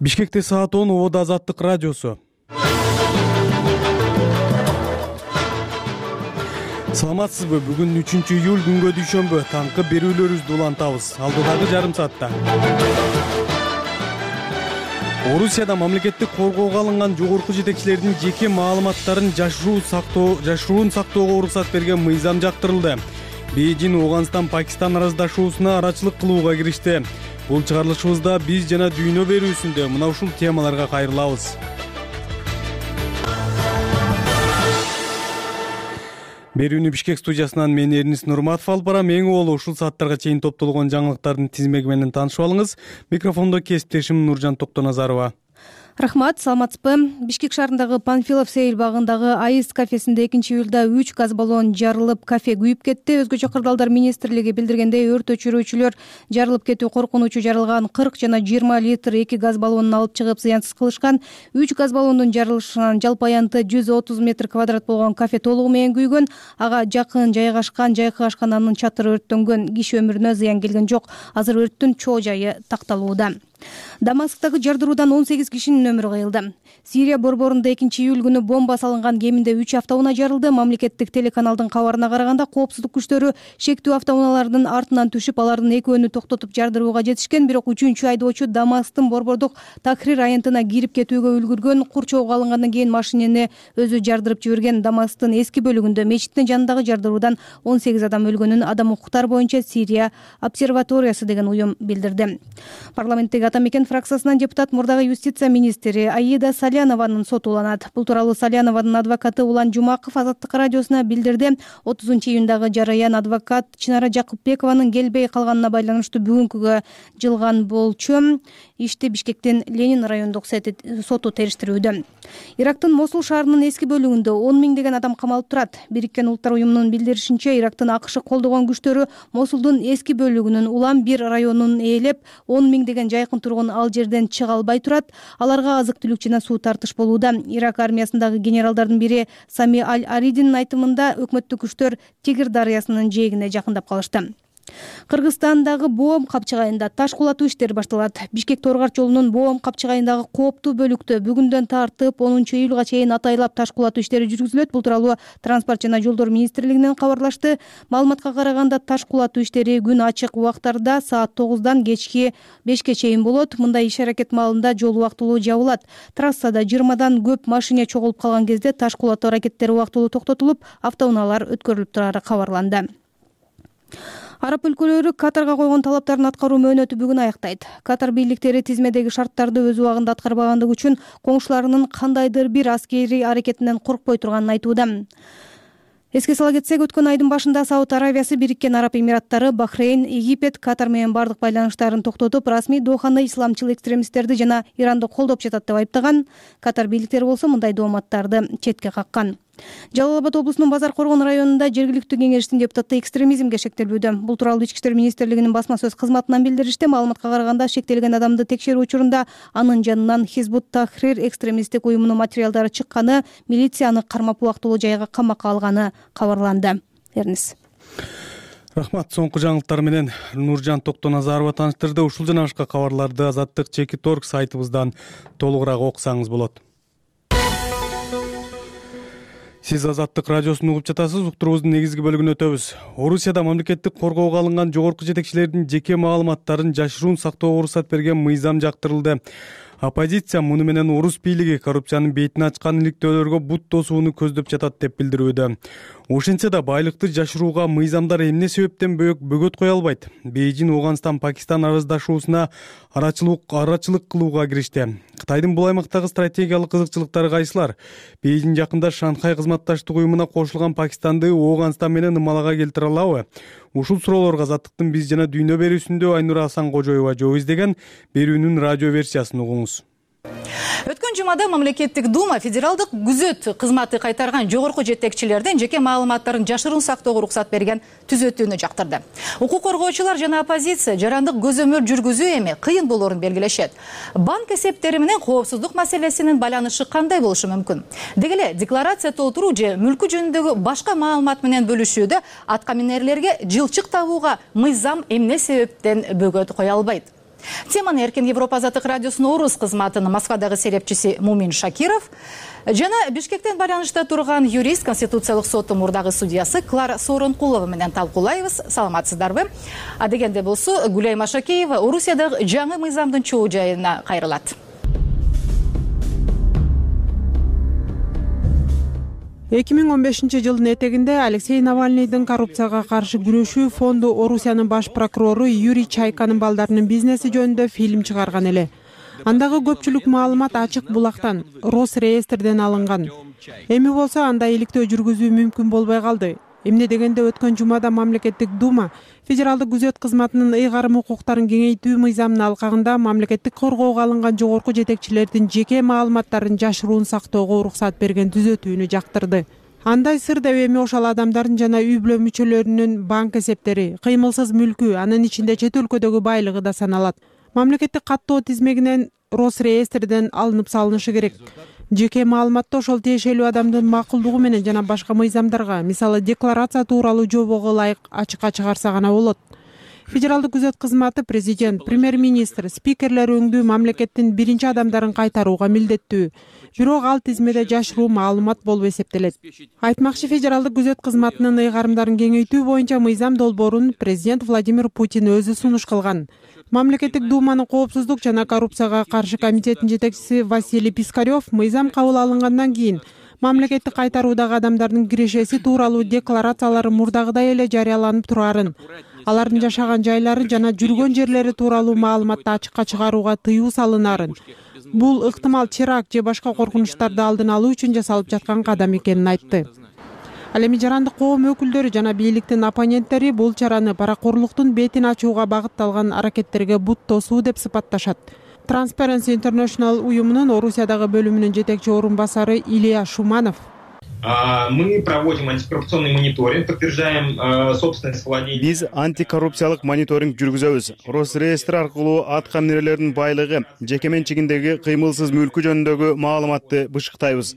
Бишкекте саат 10, Ободо Азаттык радиосу. Саламатсызбы? Бүгүн 3-июль күнгө дүйшөмбү. Таңкы берүүлөрүбүздү улантабыз. Алдыдагы жарым саатта. Орусияда мамлекеттик коргоого алынган жогорку жетекчилердин жеке маалыматтарын жашыруун сактоого уруксат берген мыйзам жактырылды. Бейжин Афганистан Пакистан араздашуусуна арачылык кылууга киришти. Бул чыгарылышыбызда биз жана дүйнө берүүсүндө мына ушул темаларга кайрылабыз. Берүүнү Бишкек студиясынан мен Эрнис Нурматов алып барам. Эң уолу ушул сааттарга чейин топтолгон жаңылыктардын тизмеги менен таанышып алыңыз. Микрофондо кесиптешим Нуржан Токтоназарова. Рахмат, саламатсызбы? Бишкек шаарындагы Панфилов сейил багындагы Айыз кафесинде 2-июлда 3 газ баллон жарылып, кафе күйүп кетти. Өзгөчө кырдаалдар министрлиги билдиргендей, өрт өчүрүүчүлөр жарылып кетүү коркунучу жарылган 40 жана 20 литр 2 газ баллонун алып чыгып зыянсыз кылышкан. 3 газ баллондун жарылышынан жалпы аянты 130 метр квадрат болгон кафе толугу менен күйгөн. Ага жакын жайгашкан жайкы ашкананын чатыры өрттөнгөн. Киши өмүрүнө зыян келген жок. Азыр өрттүн чоо жайы такталууда. Дамасктагы жардыруудан 18 кишинин өмүрү кыйылды. Сирия борборунда 2-июль күнү бомба салынган кеминде 3 автоунаа жарылды. Мамлекеттик телеканалдын кабарына караганда, коопсуздук күчтөрү шектүү автоунаалардын артынан түшүп, алардын экөөнү токтотуп жардырууга жетишкен. Бирок 3-чү айдоочу Дамасктын борбордук Тахрир аянтына кирип кетүүгө үлгүргөн. Курчоого алынгандан кийин машинени өзү жардырып жиберген. Дамасктын эски бөлүгүндө мечиттин жанындагы жардыруудан 18 адам өлгөнүн Адам укуктары боюнча Сирия обсерваториясы деген уюм билдирди. Парламенттеги Ата мекен фракциясынан депутат мурдагы юстиция министри Аида Салянованын соту уланат. Бул тууралуу Салянованын адвокаты Улан Жумаков Азаттык радиосуна билдирди. 30-июндагы жараян адвокат Чынара Жакупбекованын келбей калганына байланыштуу бүгүнкүгө жылган болчу. Ишти Бишкектин Ленин райондук соту териштирүүдө. Ирактын Мосул шаарынын эски бөлүгүндө 10 миңдеген адам камалып турат. Бириккен Улуттар уюмунун билдиришинче, Ирактын АКШ колдогон күчтөрү Мосулдун эски бөлүгүнүн Улан-1 районун ээлеп, 10 миңдеген жайкын тургун ал жерден чыга албай турат. Аларга азык-түлүк жана суу тартыш болууда. Ирак армиясындагы генералдардын бири Сами Аль-Аридинин айтымында, өкмөттүк күчтөр Тигр дарыясынын жээгине жакындап калышты. Кыргызстандагы Боом капчыгайында таш кулатуу иштери башталат. Бишкек Торгарч жолунун Боом капчыгайындагы кооптуу бөлүктө бүгүндөн тартып 10-июлга чейин атайлап таш кулатуу иштери жүргүзүлөт. Бул тууралуу Транспорт жана жолдор министрлигинен кабарлашты. Маалыматка караганда, таш кулатуу иштери күн ачык убактарда саат 9-дан кечки 5-ке чейин болот. Мындай иш-аракет маалында жол убактылуу жабылат. Трассада 20дан көп машина чогулуп калган кезде таш кулатуу аракеттери убактылуу токтотулуп, автоунаалар өткөрүлүп турары кабарланды. Араб өлкөлөрү Катарга койгон талаптарын аткаруу мөөнөтү бүгүн аяктайт. Катар бийликтери тизмедеги шарттарды өз убагында аткарбагандыгы үчүн коңшуларынын кандайдыр бир аскерий аракетинен коркпой турганын айтууда. Эске сала кетсек, өткөн айдын башында Сауд Аравиясы, Бириккен Араб Эмираттары, Бахрейн, Египет Катар менен бардык байланыштарын токтотуп, расмий Доханы исламчыл экстремисттерди жана Иранды колдоп жатат деп айыптаган. Катар бийликтери болсо мындай дооматтарды четке каккан. Жалал-Абад облусунун Базар Коргон районунда жергиликтүү кеңештин депутаты экстремизмге шектелүүдө. Бул тууралуу Ички иштер министрлигинин басма сөз кызматынан билдиришти. Маалыматка караганда, шектелген адамды текшерүү учурунда анын жанынан Хизбут Тахрир экстремисттик уюмунун материалдары чыкканы, милиция аны кармап убактылуу жайга камакка алганы кабарланды. Эрнис. Рахмат. Соңку жаңылыктар менен Нуржан Токтоназарова тааныштырды. Ушул жана башка кабарларды Азаттык Чеки.Торг сайтыбыздан толугураак окусаңыз болот. Сиз Азаттык радиосун угуп жатасыз. Уктуруубуздун негизги бөлүгүнө өтөбүз. Орусияда мамлекеттик коргоого алынган жогорку жетекчилердин жеке маалыматтарын жашыруун сактоого уруксат берген мыйзам жактырылды. Оппозиция муну менен орус бийлиги коррупциянын бетин ачкан иликтөөлөргө бут тосууну көздөп жатат деп билдирүүдө. Ошентсе да байлыкты жашырууга мыйзамдар эмне себептен бөгөт кое албайт? Бейжин Ооганстан Пакистан араздашуусуна арачылык кылууга киришти. Кытайдын бул аймактагы стратегиялык кызыкчылыктары кайсылар? Бейжин жакында Шанхай кызматташтык уюмуна кошулган Пакистанды Ооганстан менен ымалага келтире алабы? Ушул суроолорго Азаттыктын биз жана дүйнө берүүсүндө Айнура Асанкожоева жооп издеген. Берүүнүн радио версиясын угуңуз. Өткөн жумада мамлекеттик дума федералдык күзөт кызматы кайтарган жогорку жетекчилердин жеке маалыматтарын жашыруун сактоого уруксат берген түзөтүүнү жактырды. Укук коргоочулар жана оппозиция жарандык көзөмөл жүргүзүү эми кыйын болоорун белгилешет. Банк эсептери менен коопсуздук маселесинин байланышы кандай болушу мүмкүн? Деги эле декларация толтуруу же мүлкү жөнүндөгү башка маалымат менен бөлүшүүдө атка минерлерге жылчык табууга мыйзам эмне себептен бөгөт кое албайт? Теманы Эркин Европа Азаттык радиосунун орус кызматынын Москвадагы серепчиси Мумин Шакиров жана Бишкектен байланышта турган юрист Конституциялык соттун мурдагы судьясы Клара Сооронкулова менен талкуулайбыз. Саламатсыздарбы? Дегенде болсо Гүлай Машакеева Орусиядагы жаңы мыйзамдын чоо жайына кайрылат. 2015 жылдын этегинде Алексей Навальныйдын коррупцияга каршы күрөшүү фонду Орусиянын баш прокурору Юрий Чайканын балдарынын бизнеси жөнүндө фильм чыгарган эле. Андагы көпчүлүк маалымат ачык булактан, Росреестрден алынган. Эми болсо андай иликтөө жүргүзүү мүмкүн болбой калды. Эмне дегенде өткөн жумада мамлекеттик дума федералдык күзөт кызматынын ыйгарым укуктарын кеңейтүү мыйзамын алкагында мамлекеттик коргоого алынган жогорку жетекчилердин жеке маалыматтарын жашыруун сактоого уруксат берген түзөтүүнү жактырды. Андай сыр деп эми ошол адамдардын жана үй бүлө мүчөлөрүнүн банк эсептери, кыймылсыз мүлкү, анын ичинде чет өлкөдөгү байлыгы да саналат. Мамлекеттик каттоо тизмегинен Росреестрден алынып салынышы керек. Жеке маалыматты ошол тиешелүү адамдын макулдугу менен жана башка мыйзамдарга, мисалы декларация тууралуу жобого ылайык ачыкка чыгарса гана болот. Федералдык күзөт кызматы президент, премьер-министр, спикерлер өңдүү мамлекеттин биринчи адамдарын кайтарууга милдеттүү. Бирок ал тизмеде жашыруу маалымат болуп эсептелет. Айтмакчы, федералдык күзөт кызматынын ыйгарымдарын кеңейтүү боюнча мыйзам долбоорун президент Владимир Путин өзү сунуш кылган. Мамлекеттик думанын коопсуздук жана коррупцияга каршы комитетинин жетекчиси Василий Пискарев мыйзам кабыл алынгандан кийин мамлекеттик кайтаруудагы адамдардын кирешеси тууралуу декларациялары мурдагыдай эле жарыяланып турарын, алардын жашаган жайлары жана жүргөн жерлери тууралуу маалыматты ачыкка чыгарууга тыюу салынарын, бул ыктымал теракт же башка коркунучтарды алдын алуу үчүн жасалып жаткан кадам экенин айтты. Ал эми жарандык коом өкүлдөрү жана бийликтин оппоненттери бул чараны паракорлуктун бетин ачууга багытталган аракеттерге бут тосуу деп сыпатташат. Transparency International уюмунун Орусиядагы бөлүмүнүн жетекчи орун басары Илья Шуманов. Мы проводим антикоррупционный мониторинг, подтверждаем собственность владения. Биз антикоррупциялык мониторинг жүргүзөбүз. Росреестр аркылуу атка минерлердин байлыгы, жеке менчигиндеги кыймылсыз мүлкү жөнүндөгү маалыматты бышыктайбыз.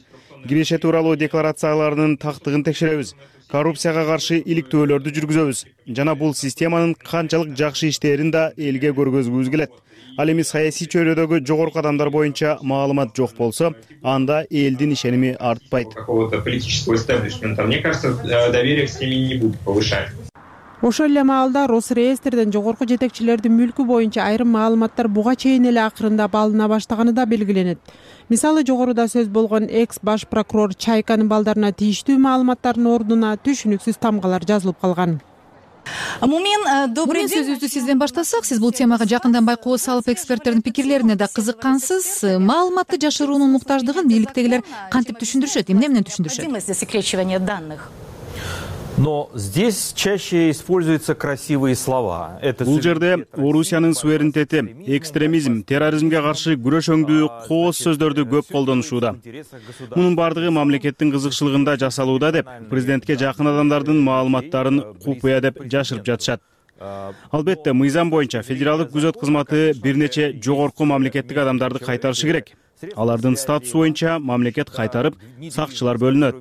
Киреше тууралуу декларацияларынын тактыгын текшеребиз. Коррупцияга каршы иликтөөлөрдү жүргүзөбүз. Жана бул системанын канчалык жакшы иштээрин да элге көргөзгүбүз келет. Ал эми саясий чөйрөдөгү жогорку адамдар боюнча маалымат жок болсо, анда элдин ишеними артпайт. Какого-то политического истеблишмента, мне кажется, доверие к системе не будет повышать. Ошол эле маалда Росреестрден жогорку жетекчилердин мүлкү боюнча айрым маалыматтар буга чейин эле акырындап алына баштаганы да белгиленет. Мисалы, жогоруда сөз болгон экс баш прокурор Чайканын балдарына тийиштүү маалыматтардын ордуна түшүнүксүз тамгалар жазылып калган. Мумин, добрый день. Сөзүбүздү сизден баштасак, сиз бул темага жакындан байкоо салып эксперттердин пикирлерине да кызыккансыз. Маалыматты жашыруунун муктаждыгын бийликтегилер кантип түшүндүрүшөт, эмне менен түшүндүрүшөт? Засекречивание данных. Но здесь чаще используются красивые слова. Бул жерде Орусиянын суверенитети, экстремизм, терроризмге каршы күрөш өңдүү кооз сөздөрдү көп колдонушууда. Мунун бардыгы мамлекеттин кызыкчылыгында жасалууда деп президентке жакын адамдардын маалыматтарын купуя деп жашырып жатышат. Албетте, мыйзам боюнча федералдык күзөт кызматы бир нече жогорку мамлекеттик адамдарды кайтарышы керек. Алардын статусу боюнча мамлекет кайтарып, сакчылар бөлүнөт.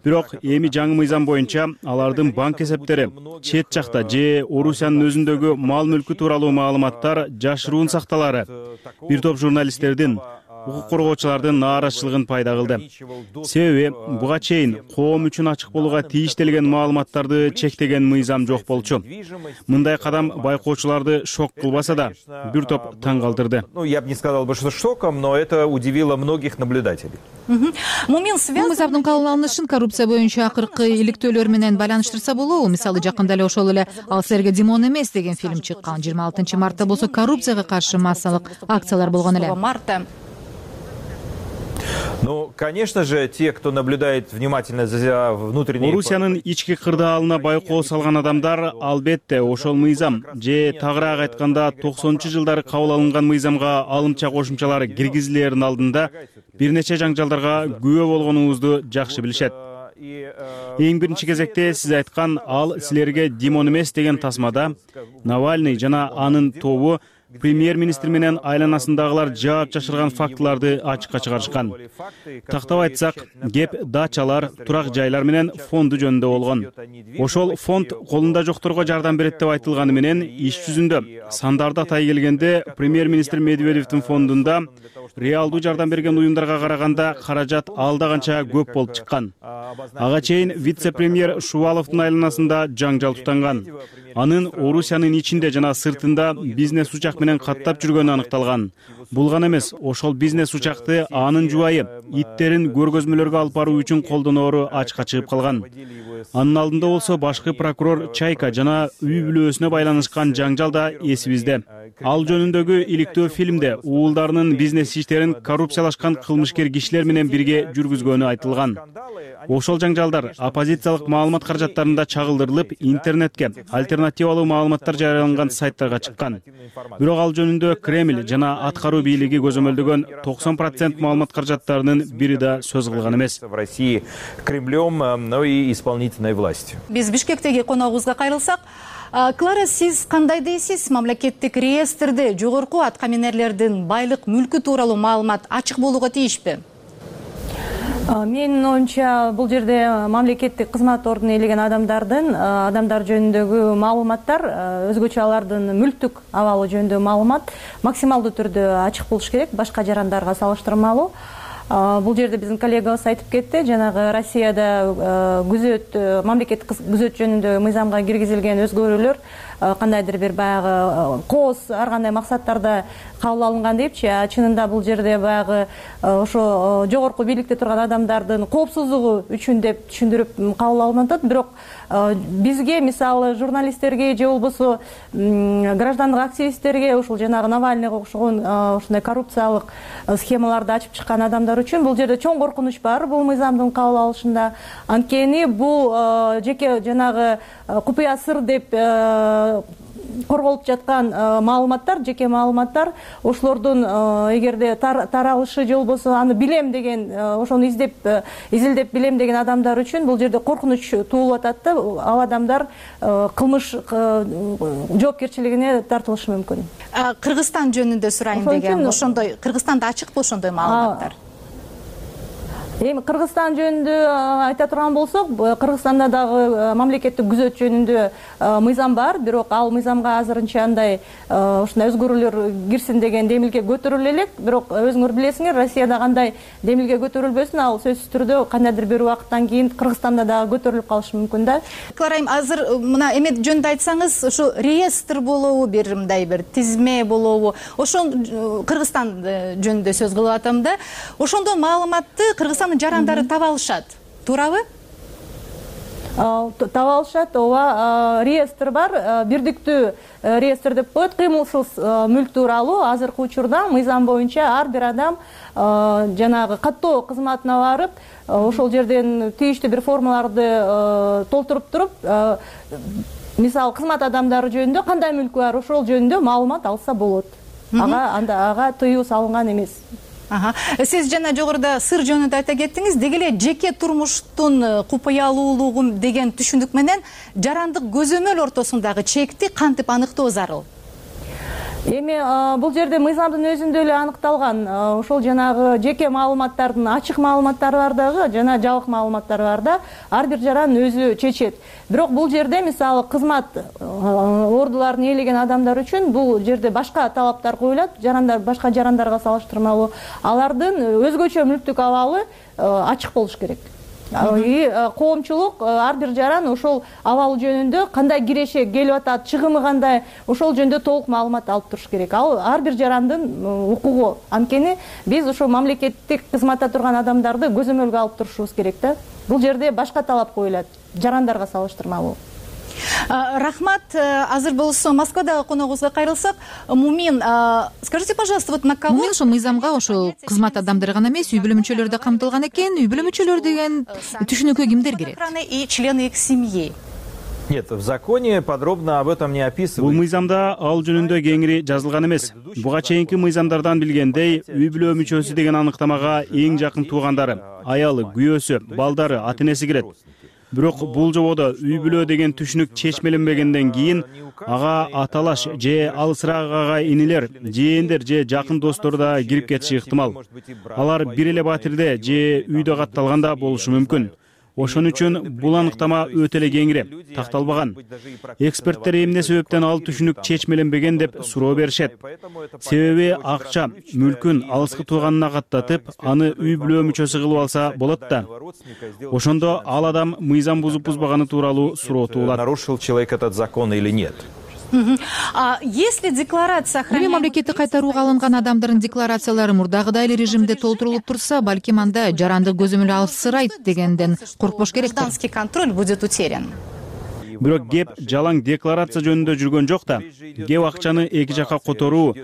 Бирок эми жаңы мыйзам боюнча алардын банк эсептери, чет жакта же Орусиянын өзүндөгү мал мүлкү тууралуу маалыматтар жашыруун сакталары. Бир топ журналисттердин, укук коргоочулардын нааразычылыгын пайда кылды. Себеби буга чейин коом үчүн ачык болууга тийиштелген маалыматтарды чектеген мыйзам жок болчу. Мындай кадам байкоочуларды шок кылбаса да, бир топ таң калтырды. Я бы не сказал бы, что шоком, но это удивило многих наблюдателей. Бул мыйзамдын кабыл алынышын коррупция боюнча акыркы иликтөөлөр менен байланыштырса болобу? Мисалы жакында эле ошол эле «Ал силерге Димон эмес» деген фильм чыккан. 26-мартта болсо коррупцияга каршы массалык акциялар болгон эле. Ну, конечно же, те, кто наблюдает внимательно за внутренней... Орусиянын ички кырдаалына байкоо салган адамдар албетте ошол мыйзам же тагыраак айтканда 90-жылдары кабыл алынган мыйзамга алымча кошумчалар киргизилерин алдында бир нече жаңжалдарга күбө болгонуңузду жакшы билишет. Эң биринчи кезекте сиз айткан «Ал силерге Димон эмес» деген тасмада Навальный жана анын тобу премьер-министр менен айланасындагылар жаап жашырган фактыларды ачыкка чыгарышкан. Тактап айтсак, кеп дачалар, турак жайлар менен фонду жөнүндө болгон. Ошол фонд колунда жокторго жардам берет деп айтылганы менен иш жүзүндө сандарды атай келгенде премьер-министр Медведевдин фондунда реалдуу жардам берген уюмдарга караганда каражат алда канча көп болуп чыккан. Ага чейин вице-премьер Шуваловдун айланасында жаңжал тутанган. Анын Орусиянын ичинде жана сыртында бизнес учак менен каттап жүргөнү аныкталган. Бул гана эмес, ошол бизнес учакты анын жубайы иттерин көргөзмөлөргө алып баруу үчүн колдоноору ачыкка чыгып калган. Анын алдында болсо башкы прокурор Чайка жана үй бүлөсүнө байланышкан жаңжал да эсибизде. Ал жөнүндөгү иликтөө фильмде уулдарынын бизнес иштерин коррупциялашкан кылмышкер кишилер менен бирге жүргүзгөнү айтылган. Ошол жаңжалдар оппозициялык маалымат каражаттарында чагылдырылып, интернетке альтернативалуу маалыматтар жарыяланган сайттарга чыккан. Бирок ал жөнүндө Кремль жана аткаруу бийлиги көзөмөлдөгөн 90% маалымат каражаттарынын бири да сөз кылган эмес. В России Кремлем, но и исполнительной властью. Биз Бишкектеги коногубузга кайрылсак, Клара, сиз кандай дейсиз? Мамлекеттик реестрде жогорку аткаминерлердин байлык мүлкү тууралуу маалымат ачык болууга тийишпи? Менин оюмча бул жерде мамлекеттик кызмат ордуна ээлеген адамдар жөнүндөгү маалыматтар, өзгөчө алардын мүлктүк абалы жөнүндөгү маалымат максималдуу түрдө ачык болуш керек, башка жарандарга салыштырмалуу. Бул жерде биздин коллегабыз айтып кетти, жанагы Россияда мамлекеттик күзөт жөнүндө мыйзамга киргизилген өзгөрүүлөр кандайдыр бир баягы кооз ар кандай максаттарда кабыл алынган депчи, чынында бул жерде баягы ошо жогорку бийликте турган адамдардын коопсуздугу үчүн деп түшүндүрүп кабыл алынып атат. Бирок бизге, мисалы журналисттерге же болбосо граждандык активисттерге ушул жанагы Навальныйга окшогон ушундай коррупциялык схемаларды ачып чыккан адамдар үчүн бул жерде чоң коркунуч бар бул мыйзамдын кабыл алышында. Анткени бул жеке жанагы купуя сыр деп корголуп жаткан маалыматтар, жеке маалыматтар, ошолордун эгерде таралышы же болбосо аны билем деген, ошону изилдеп билем деген адамдар үчүн бул жерде коркунуч туулуп атат да, ал адамдар кылмыш жоопкерчилигине тартылышы мүмкүн. Кыргызстан жөнүндө сурайын деген, ошондой Кыргызстанда ачыкпы ошондой маалыматтар? Эми Кыргызстан жөнүндө айта турган болсок, Кыргызстанда дагы мамлекеттик күзөт жөнүндө мыйзам бар, бирок ал мыйзамга азырынча андай ушундай өзгөрүүлөр кирсин деген демилге көтөрүлө элек. Бирок өзүңөр билесиңер, Россияда кандай демилге көтөрүлбөсүн, ал сөзсүз түрдө кандайдыр бир убакыттан кийин Кыргызстанда дагы көтөрүлүп калышы мүмкүн да. Кларайым, азыр мына эмет жөнүндө айтсаңыз, ошо реестр болобу, бир мындай бир тизме болобу? Ошон Кыргызстан жөнүндө сөз кылып атам да. Ошондо маалыматты Кыргызстан жарандары таба алышат, туурабы? Таба алышат, ооба, реестр бар, бирдиктүү реестр деп коет, кыймылсыз мүлк тууралуу. Азыркы учурда мыйзам боюнча ар бир адам жанагы каттоо кызматына барып, ошол жерден тийиштүү бир формаларды толтуруп туруп, мисалы кызмат адамдары жөнүндө кандай мүлкү бар, ошол жөнүндө маалымат алса болот. Ага тыюу салынган эмес. Сиз жана жогоруда сыр жөнүндө айта кеттиңиз, деги эле жеке турмуштун купуялуулугу деген түшүндүк менен жарандык көзөмөл ортосундагы чекти кантип аныктоо зарыл? Эми бул жерде мыйзамдын өзүндө эле аныкталган ошол жанагы жеке маалыматтардын ачык маалыматтары бар дагы жана жабык маалыматтары бар да, ар бир жаран өзү чечет. Бирок бул жерде мисалы кызмат ордуларын ээлеген адамдар үчүн бул жерде башка талаптар коюлат, башка жарандарга салыштырмалуу. Алардын өзгөчө мүлктүк абалы ачык болуш керек. Коомчулук ар бир жаран ошол абалы жөнүндө кандай киреше келип атат, чыгымы кандай, ошол жөнүндө толук маалымат алып туруш керек. Ал ар бир жарандын укугу. Анткени биз ошо мамлекеттик кызматта турган адамдарды көзөмөлгө алып турушубуз керек да. Бул жерде башка талап коюлат, жарандарга салыштырмалуу. Рахмат. Азыр болсо Москвадагы коногубузга кайрылсак, Мумин, скажите, пожалуйста, вот на кого... Ошо мыйзамга ошо кызмат адамдары гана эмес, үй бүлө мүчөлөрү да камтылган экен. Үй бүлө мүчөлөрү деген түшүнүккө кимдер кирет? И члены их семьи. Нет, в законе подробно об этом не описывается. Бул мыйзамда ал жөнүндө кеңири жазылган эмес. Буга чейинки мыйзамдардан билгендей, үй бүлө мүчөсү деген аныктамага эң жакын туугандары, аялы, күйөөсү, балдары, ата-энеси кирет. Бирок бул жободо үй бүлө деген түшүнүк чечмеленбегенден кийин ага аталаш же алысыраак агай инилер, жээндер же жакын достор да кирип кетиши ыктымал. Алар бир эле батирде же үйдө катталганда болушу мүмкүн. Ошон үчүн бул аныктама өтө эле кеңири, такталбаган. Эксперттер эмне себептен ал түшүнүк чечмеленбеген деп суроо беришет. Себеби акча, мүлкүн алыскы тууганына каттатып, аны үй бүлө мүчөсү кылып алса болот да. Ошондо ал адам мыйзам бузуп-бузбаганы тууралуу суроо туулат. Нарушил человек этот закон или нет? Если декларация Эми мамлекеттик кайтарууга алынган адамдардын декларациялары мурдагыдай эле режимде толтурулуп турса, балким анда жаранды көзөмөл алышсырайт дегенден коркпош керек. Гражданский контроль будет утерян. Бирок кеп жалаң декларация жөнүндө жүргөн жок да. Кеп акчаны эки жакка которуу,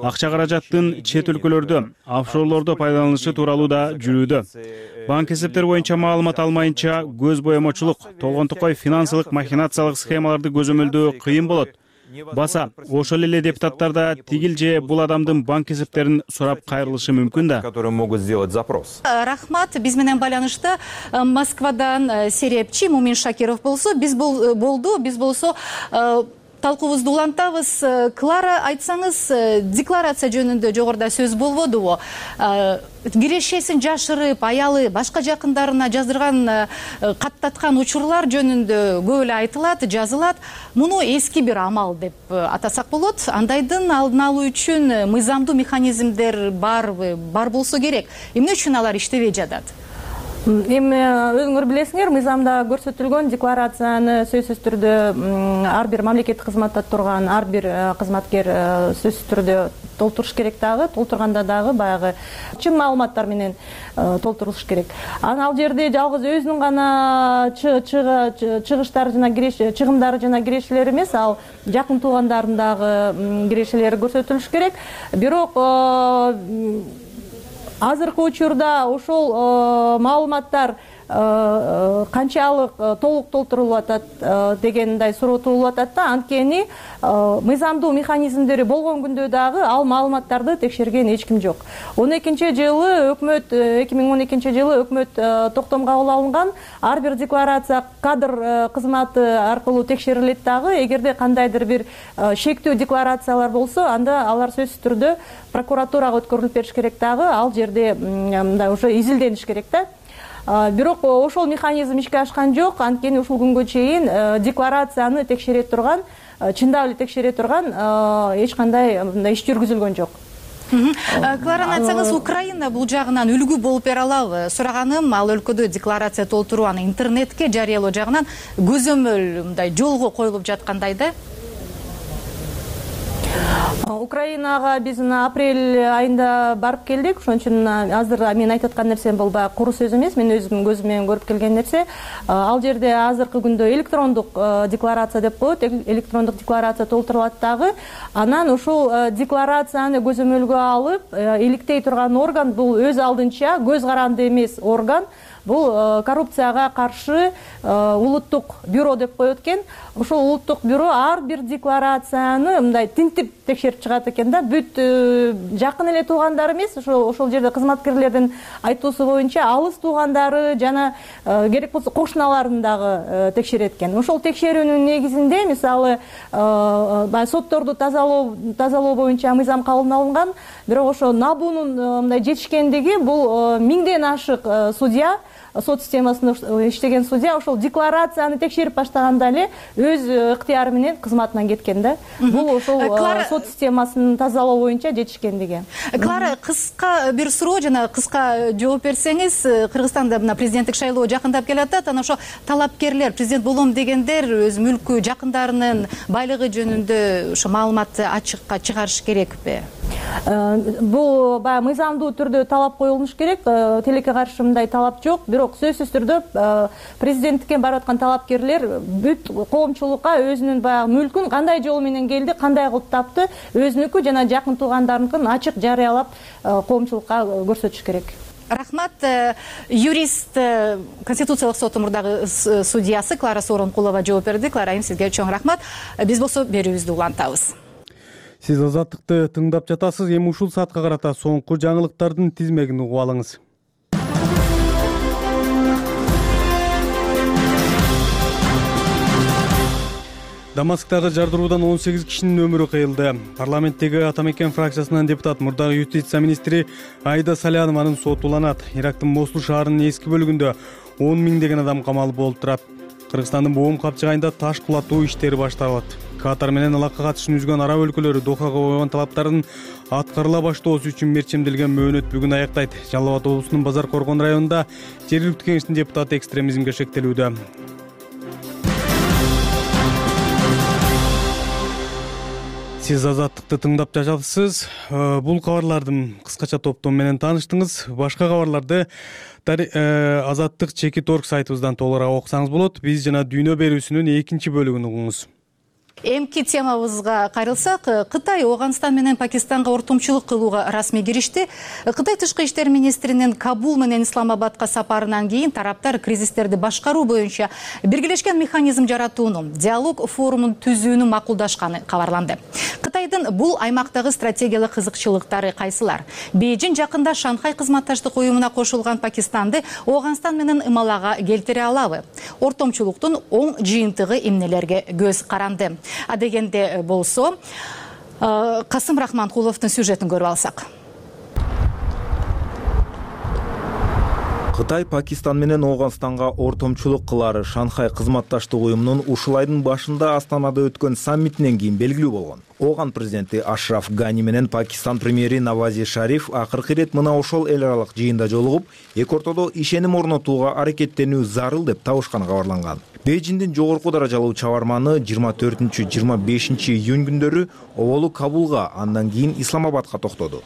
акча каражаттын чет өлкөлөрдө, офшорлордо пайдаланышы тууралуу да жүрүүдө. Банк эсептери боюнча маалымат алмайынча көз боемочулук, толгонтукай финансылык махинациялык схемаларды көзөмөлдөө кыйын болот. Баса, ошол эле депутаттар да тигил же бул адамдын банк эсептерин сурап кайрылышы мүмкүн да. Которые могут сделать запрос. Рахмат, биз менен байланышта Москвадан серепчи Мумин Шакиров болсо, биз болсо талкуубузду улантабыз. Клара, айтсаңыз, декларация жөнүндө жогоруда сөз болбодубу? Кирешесин жашырып, аялы башка жакындарына жаздырган, каттаткан учурлар жөнүндө көп эле айтылат, жазылат. Муну эски бир амал деп атасак болот. Андайдын алдын алуу үчүн мыйзамдуу механизмдер барбы? Бар болсо керек. Эмне үчүн алар иштебей жатат? Эми өзүңөр билесиңер, мыйзамда көрсөтүлгөн декларацияны сөзсүз түрдө ар бир мамлекеттик кызматта турган ар бир кызматкер сөзсүз түрдө толтуруш керек дагы, толтурганда дагы баягы чын маалыматтар менен толтурулуш керек. Ал жерде жалгыз өзүнүн гана чыгыштары жана чыгымдары жана кирешелери эмес, ал жакын туугандардын дагы кирешелери көрсөтүлүш керек. Бирок азыркы учурда ошол маалыматтар канчалык толук толтурулуп атат дегендей суроо туулуп атат да. Анткени мыйзамдуу механизмдери болгон күндө дагы ал маалыматтарды текшерген эч ким жок. 2012 жылы өкмөт токтом кабыл алынган ар бир декларация кадр кызматы аркылуу текшерилет дагы. Эгерде кандайдыр бир шектүү декларациялар болсо, анда алар сөзсүз түрдө прокуратурага өткөрүлүп бериш керек дагы. Ал жерде мындай уже изилдениш керек да. Бирок ошол механизм ишке ашкан жок. Анткени ушул күнгө чейин декларацияны текшере турган, чындап эле текшере турган эч кандай мындай иш жүргүзүлгөн жок. Клараны айтсаңыз, Украина бул жагынан үлгү болуп бере алабы? Сураганым, ал өлкөдө декларация толтуруу, аны интернетке жарыялоо жагынан көзөмөл мындай жолго коюлуп жаткандай да. Украинага биз апрель айында барып келдик. Ошон үчүн азыр мен айтып аткан нерсем бул баягы куру сөз эмес, мен өзүм көзүм менен көрүп келген нерсе. Ал жерде азыркы күндө электрондук декларация деп коет, электрондук декларация толтурулат дагы. Анан ушул декларацияны көзөмөлгө алып, иликтей турган орган бул өз алдынча көз каранды эмес орган. бул коррупцияга каршы улуттук бюро деп коет экен. Ошол улуттук бюро ар бир декларацияны мындай тинтип текшерип чыгат экен да. Бүт жакын эле туугандар эмес, ошол жерде кызматкерлердин айтуусу боюнча алыс туугандары жана керек болсо кошуналарын дагы текшерет экен. Ошол текшерүүнүн негизинде мисалы баягы сотторду тазалоо боюнча мыйзам кабыл алынган, бирок ошо набуунун мындай жетишкендиги бул 1000ден ашык судья, сот системасында иштеген судья ошол декларацияны текшерип баштаганда эле өз ыктыяры менен кызматынан кеткен да. Бул ошол сот системасын тазалоо боюнча жетишкендиги. Клара, кыска бир суроо жана кыска жооп берсеңиз, Кыргызстанда мына президенттик шайлоо жакындап келатат, анан ошо талапкерлер, президент болом дегендер өз мүлкү, жакындарынын байлыгы жөнүндө ошо маалыматты ачыкка чыгарыш керекпи? Бул баягы мыйзамдуу түрдө талап коюлуш керек. Тилекке каршы мындай талап жок. Бирок сөзсүз түрдө президенттикке барып аткан талапкерлер бүт коомчулукка өзүнүн баягы мүлкүн кандай жол менен келди, кандай кылып тапты, өзүнүкү жана жакын туугандарыныкын ачык жарыялап коомчулукка көрсөтүш керек. Рахмат. Юрист, Конституциялык сот мурдагы судьясы Клара Сооронкулова жооп берди. Клара, сизге чоң рахмат. Биз болсо берүүбүздү улантабыз. Сиз Азаттыкты тыңдап жатасыз. Эми ушул саатка карата соңку жаңылыктардын тизмегин угуп алыңыз. Дамасктагы жардыруудан 18 кишинин өмүрү кыйылды. Парламенттеги Ата мекен фракциясынан депутат мурдагы юстиция министри Айда Салянованын соту уланат. Ирактын Мосул шаарынын эски бөлүгүндө 10 миңдеген адам камалып олтурат. Кыргызстандын боом капчыгайында таш кулатуу иштери башталат. Катар менен алакка катышын үзгөн араб өлкөлөрү Дохага койгон талаптарын аткарыла баштоосу үчүн мерчемделген мөөнөт бүгүн аяктайт. Жалал Абад облусунун Базар Коргон районунда жергиликтүү кеңештин депутаты экстремизмге шектелүүдө. Сиз Азаттыкты тыңдап жатасыз. Бул кабарлардын кыскача топтому менен тааныштыңыз. Башка кабарларды Азаттык Чекит.орг сайтыбыздан толугураак окусаңыз болот. Биз жана дүйнө берүүсүнүн экинчи бөлүгүн угуңуз. Эмки темабызга кайрылсак, Кытай Ооганстан менен Пакистанга ортомчулук кылууга расмий киришти. Кытай тышкы иштер министринин Кабул менен Исламабадка сапарынан кийин тараптар кризистерди башкаруу боюнча биргелешкен механизм жаратууну, диалог форумун түзүүнү макулдашканы кабарланды. Кытайдын бул аймактагы стратегиялык кызыкчылыктары кайсылар? Бейжин жакында Шанхай кызматташтык уюмуна кошулган Пакистанды Ооганстан менен ымалага келтире алабы? Ортомчулуктун оң жыйынтыгы эмнелерге көз каранды? Дегенде болсо, Касым Рахманкуловдун сюжетин көрүп алсак. Кытай Пакистан менен Ооганстанга ортомчулук кылары Шанхай кызматташтык уюмунун ушул айдын башында Астанада өткөн саммитинен кийин белгилүү болгон. Ооган президенти Ашраф Гани менен Пакистан премьери Навази Шариф акыркы ирет мына ошол эл аралык жыйында жолугуп, эки ортодо ишеним орнотууга аракеттенүү зарыл деп табышканы кабарланган. Бейжиндин жогорку даражалуу чабарманы 24-25 июнь күндөрү оболу Кабулга, андан кийин Исламабадка токтоду.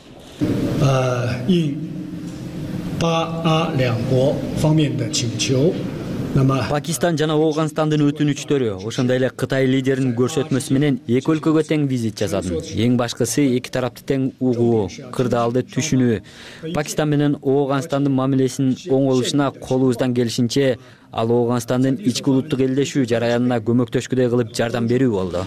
Пакистан жана Ооганстандын өтүнүчтөрү, ошондой эле Кытай лидеринин көрсөтмөсү менен эки өлкөгө тең визит жасады. Эң башкысы эки тарапты тең угуу, кырдаалды түшүнүү. Пакистан менен Ооганстандын мамилесинин оңолушуна колубуздан келишинче ал Ооганстандын ички улуттук элдешүү жараянына көмөктөшкүдөй кылып жардам берүү болду.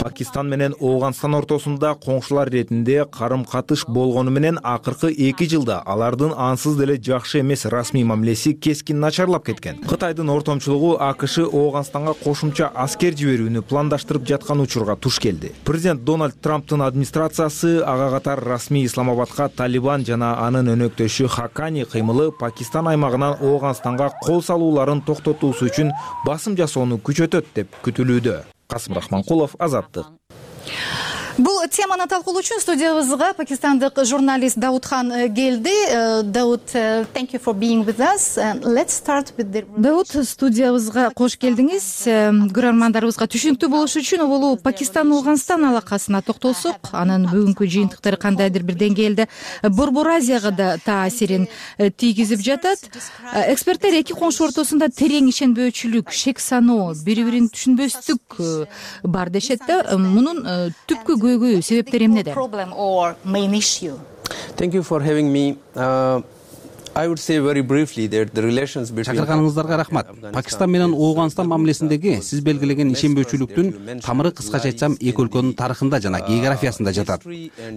Пакистан менен Ооганстан ортосунда коңшулар иретинде карым-катыш болгону менен акыркы 2 жылда алардын ансыз деле жакшы эмес расмий мамилеси кескин начарлап кеткен. Кытайдын ортомчулугу АКШ Ооганстанга кошумча аскер жиберүүнү пландаштырып жаткан учурга туш келди. Президент Дональд Трамптын администрациясы ага катар расмий Исламабадка Талибан жана анын өнөктөшү Хакани кыймылы Пакистан аймагынан Ооганстанга кол салууларын токтотуусу үчүн басым жасоону күчөтөт деп күтүлүүдө. Касым Рахманкулов, Азаттык. Бул теманы талкуулоо үчүн студиябызга пакистандык журналист Даудхан келди. Дауд, thank you for being with us. Let's start with the... Дауд, студиябызга кош келдиңиз. Көрөрмандарыбызга түшүнүктүү болуш үчүн оболу Пакистан-Ооганстан алакасына токтолсок, анын бүгүнкү жыйынтыктары кандайдыр бир деңгээлде Борбор Азияга да таасирин тийгизип жатат. Эксперттер эки коңшу ортосунда терең ишенбөөчүлүк, шек саноо, бири-бирин түшүнбөстүк бар дешет да. Мунун түпкү көйгөй, себептери эмнеде? Thank you for having me. I would say very briefly that the relations between Чакырганыңыздарга рахмат. Пакистан менен Ооганстан мамилесиндеги сиз белгилеген ишенбөөчүлүктүн тамыры кыскача айтсам эки өлкөнүн тарыхында жана географиясында жатат.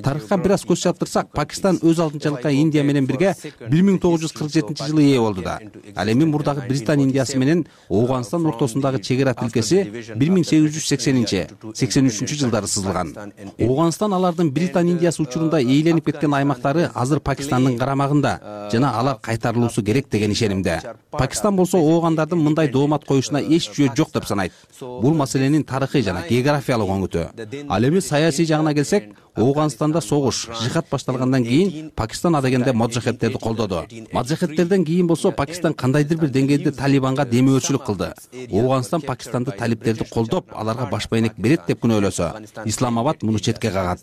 Тарыхка бир аз көз чаптырсак, Пакистан өз алдынчалыкка Индия менен бирге 1947-жылы ээ болду да. Ал эми мурдагы Британ Индиясы менен Ооганстан ортосундагы чегара тилкеси 1880-83 жылдары сызылган. Ооганстан алардын Британ Индиясы учурунда ээленип кеткен аймактары азыр Пакистандын карамагында жана алар кайтарылуусу керек деген ишенимде. Пакистан болсо оогандардын мындай доомат коюшуна эч жөө жок деп санайт. Бул маселенин тарыхый жана географиялык оңуту. Ал эми саясий жагына келсек, Ооганстанда согуш, жихад башталгандан кийин Пакистан адегенде моджахедтерди колдоду. Моджахедтерден кийин болсо Пакистан кандайдыр бир деңгээлде Талибанга демөөрчүлүк кылды. Ооганстан Пакистанды талиптерди колдоп, аларга баш байнек берет деп күнөөлөсө, Исламабад муну четке кагат.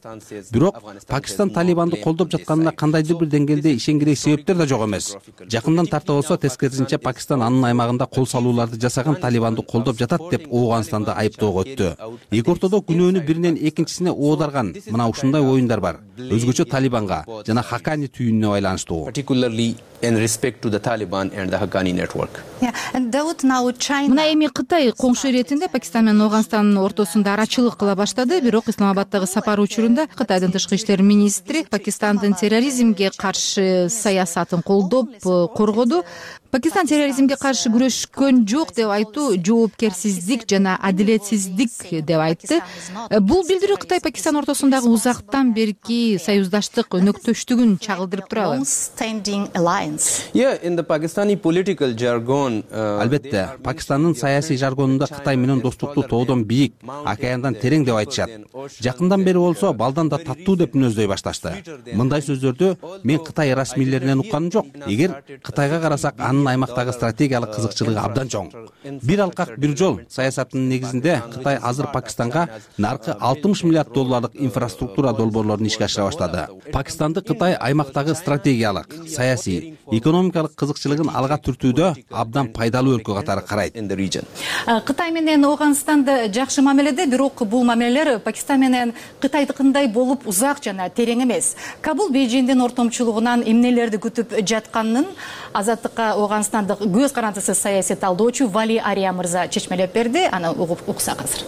Бирок Пакистан Талибанды колдоп жатканына кандайдыр бир деңгээлде ишенгирей себептер да жок эмес. Жакындан тарта болсо тескерисинче Пакистан анын аймагында кол салууларды жасаган Талибанды колдоп жатат деп Ооганстанды айыптоого өттү. Эки ортодо күнөөнү биринен экинчисине оодарган мына ушундай оюндар бар. Өзгөчө Талибанга жана Хакани түйүнүнө байланыштуу. Particularly in respect to the Taliban and the Haqqani network. Мына эми Кытай коңшу иретинде Пакистан менен Ооганстандын ортосунда арачылык кыла баштады. Бирок Исламабаддагы сапары учурунда Кытайдын тышкы иштер министри Пакистандын терроризмге каршы саясатын колдоп коргоду. Пакистан терроризмге каршы күрөшкөн жок деп айтуу жоопкерсиздик жана адилетсиздик деп айтты. Бул билдирүү Кытай Пакистан ортосундагы узактан берки союздаштык өнөктөштүгүн чагылдырып турабы? In the Pakistani political jargon, Албетте, Пакистандын саясий жаргонунда Кытай менен достукту тоодон бийик, океандан терең деп айтышат. Жакындан бери болсо балдан да таттуу деп мүнөздөй башташты. Мындай сөздөрдү мен Кытай расмийлеринен укканым жок. Эгер Кытайга карасак, анын аймактагы стратегиялык кызыкчылыгы абдан чоң. Бир алкак бир жол саясатынын негизинде Кытай азыр Пакистанга наркы $60 миллиард инфраструктура долбоорлорун ишке ашыра баштады. Пакистанды Кытай аймактагы стратегиялык, саясий, экономикалык кызыкчылыгын алга түртүүдө абдан пайдалуу өлкө катары карайт. Кытай менен Ооганстанды жакшы мамиледе, бирок бул мамилелер Пакистан менен Кытайдыкындай болуп узак жана терең эмес. Кабул Бейжиңдин ортомчулугунан эмнелерди күтүп жатканын Азаттыкка Ооганстандык көз карандысыз саясий талдоочу Вали Ария мырза чечмелеп берди. Аны угуп уксак азыр.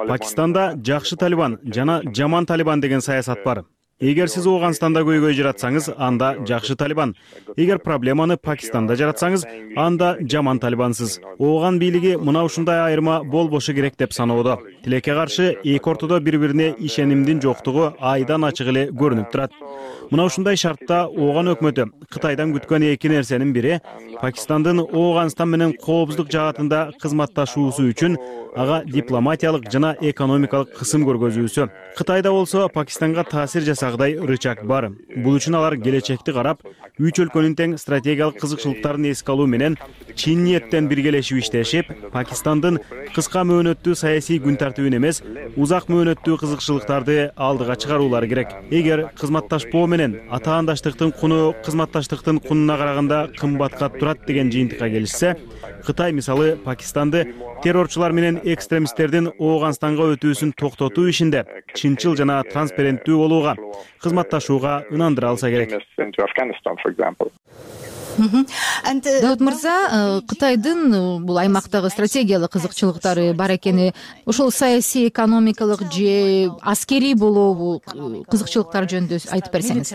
Пакистанда жакшы Талибан жана жаман Талибан деген саясат бар. Эгер сиз Ооганстанда көйгөй жаратсаңыз, анда жакшы Талибан. Эгер проблеманы Пакистанда жаратсаңыз, анда жаман Талибансыз. Ооган бийлиги мына ушундай айырма болбошу керек деп саноодо. Тилекке каршы эки ортодо бири-бирине ишенимдин жоктугу айдан ачык эле көрүнүп турат. Мына ушундай шартта Ооган өкмөтү Кытайдан күткөн эки нерсенин бири Пакистандын Ооганстан менен коопсуздук жаатында кызматташуусу үчүн ага дипломатиялык жана экономикалык кысым көргөзүүсү. Кытайда болсо Пакистанга таасир жасагыдай рычаг бар. Бул үчүн алар келечекти карап, үч өлкөнүн тең стратегиялык кызыкчылыктарын эске алуу менен чын ниеттен биргелешип иштешип, Пакистандын кыска мөөнөттүү саясий күн тартибин эмес, узак мөөнөттүү кызыкчылыктарды алдыга чыгаруулары керек. Эгер кызматташпоо менен атаандаштыктын куну кызматташтыктын кунуна караганда кымбатка турат деген жыйынтыкка келишсе, Кытай мисалы Пакистанды террорчулар менен экстремисттердин Ооганстанга өтүүсүн токтотуу ишинде чынчыл жана транспаренттүү болууга, кызматташууга ынандыра алса керек. Даут мырза, Кытайдын бул аймактагы стратегиялык кызыкчылыктары бар экени, ошол саясий, экономикалык же аскерий болобу кызыкчылыктар жөнүндө айтып берсеңиз.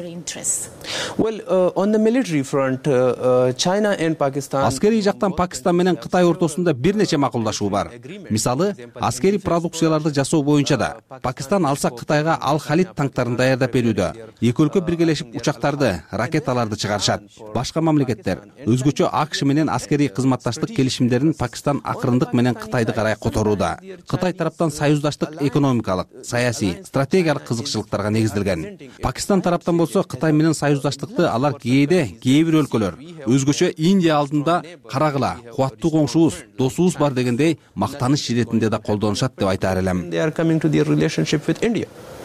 Аскерий жактан Пакистан менен Кытай ортосунда бир нече макулдашуу бар. Мисалы, аскерий продукцияларды жасоо боюнча да Пакистан алса Кытайга Ал-Халид танктарын даярдап берүүдө. Эки өлкө биргелешип учактарды, ракеталарды чыгарышат. Башка өзгөчө АКШ менен аскерий кызматташтык келишимдерин Пакистан акырындык менен Кытайды карай которууда. Кытай тараптан союздаштык экономикалык, саясий, стратегиялык кызыкчылыктарга негизделген. Пакистан тараптан болсо Кытай менен союздаштыкты алар кээ бир өлкөлөр, өзгөчө Индия алдында карагыла, кубаттуу коңшубуз, досубуз бар дегендей мактаныш иретинде да колдонушат деп айтаар элем.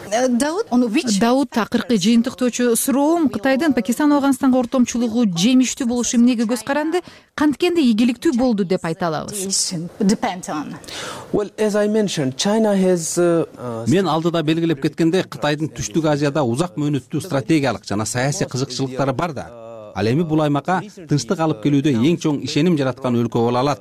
Дауд, акыркы жыйынтыктоочу суроом, Кытайдын Пакистан Афганистанга ортомчулугу жемиштүү болушу эмнеге көз каранды, канткенде ийгиликтүү болду деп айта алабыз. Мен алдыда белгилеп кеткенде, Кытайдын Түштүк Азияда узак мөөнөттүү стратегиялык жана саясий кызыкчылыктары бар да. Ал эми бул аймакка тынчтык алып келүүдө эң чоң ишеним жараткан өлкө боло алат.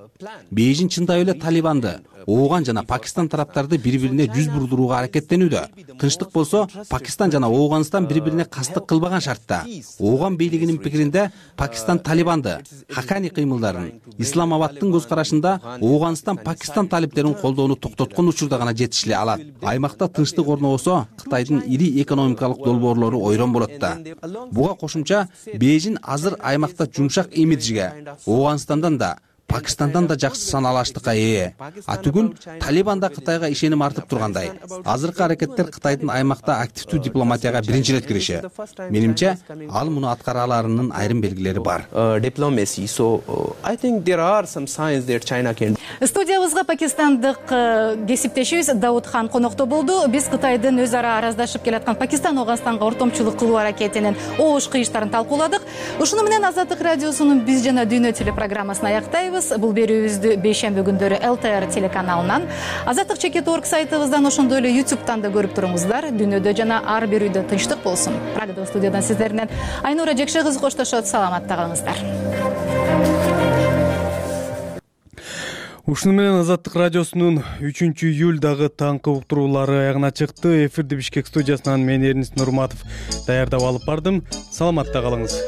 Бейжин чындап эле Талибанды, Ооган жана Пакистан тараптарды бири-бирине жүз бурдурууга аракеттенүүдө. Тынчтык болсо, Пакистан жана Ооганстан бири-бирине кастык кылбаган шартта. Ооган бийлигинин пикиринде, Пакистан Талибанды, Хакани кыймылдарын, Исламабадтын көз карашында Ооганстан Пакистан талиптерин колдоону токтоткон учурда гана жетишиле алат. Аймакта тынчтык орнобосо, Кытайдын ири экономикалык долбоорлору ойрон болот да. Буга кошумча, Бейжин азыр аймакта жумшак имиджге, Ооганстандан да, Пакистандан да жакшы саналаштыкка ээ. Түгүл Талибанда Кытайга ишеним артып тургандай. Азыркы аракеттер Кытайдын аймакта активдүү дипломатияга биринчи ирет кириши. Менимче, ал муну аткара аларынын айрым белгилери бар. Студиябызга пакистандык кесиптешибиз Дауд хан конокто болду. Биз Кытайдын өз ара араздашып келаткан Пакистан Афганистанга ортомчулук кылуу аракетинин оош кыйыштарын талкууладык. Ушуну менен Азаттык радиосунун Биз жана Дүйнө телепрограммасын аяктайбыз. Бул берүүбүздү бейшемби күндөрү ЛТР телеканалынан, Азаттык.org сайтыбыздан, ошондой эле YouTube'дан да көрүп туруңуздар. Дүйнөдө жана ар бир үйдө тынчтык болсун. Прагада студиядан сиздерден Айнура Жекше кызы коштошот. Саламатта калыңыздар. Ушуну менен Азаттык радиосунун 3-июлдагы таңкы уктуруулары аягына чыкты. Эфирди Бишкек студиясынан мен Эрнис Нурматов даярдап алып бардым. Саламатта калыңыз.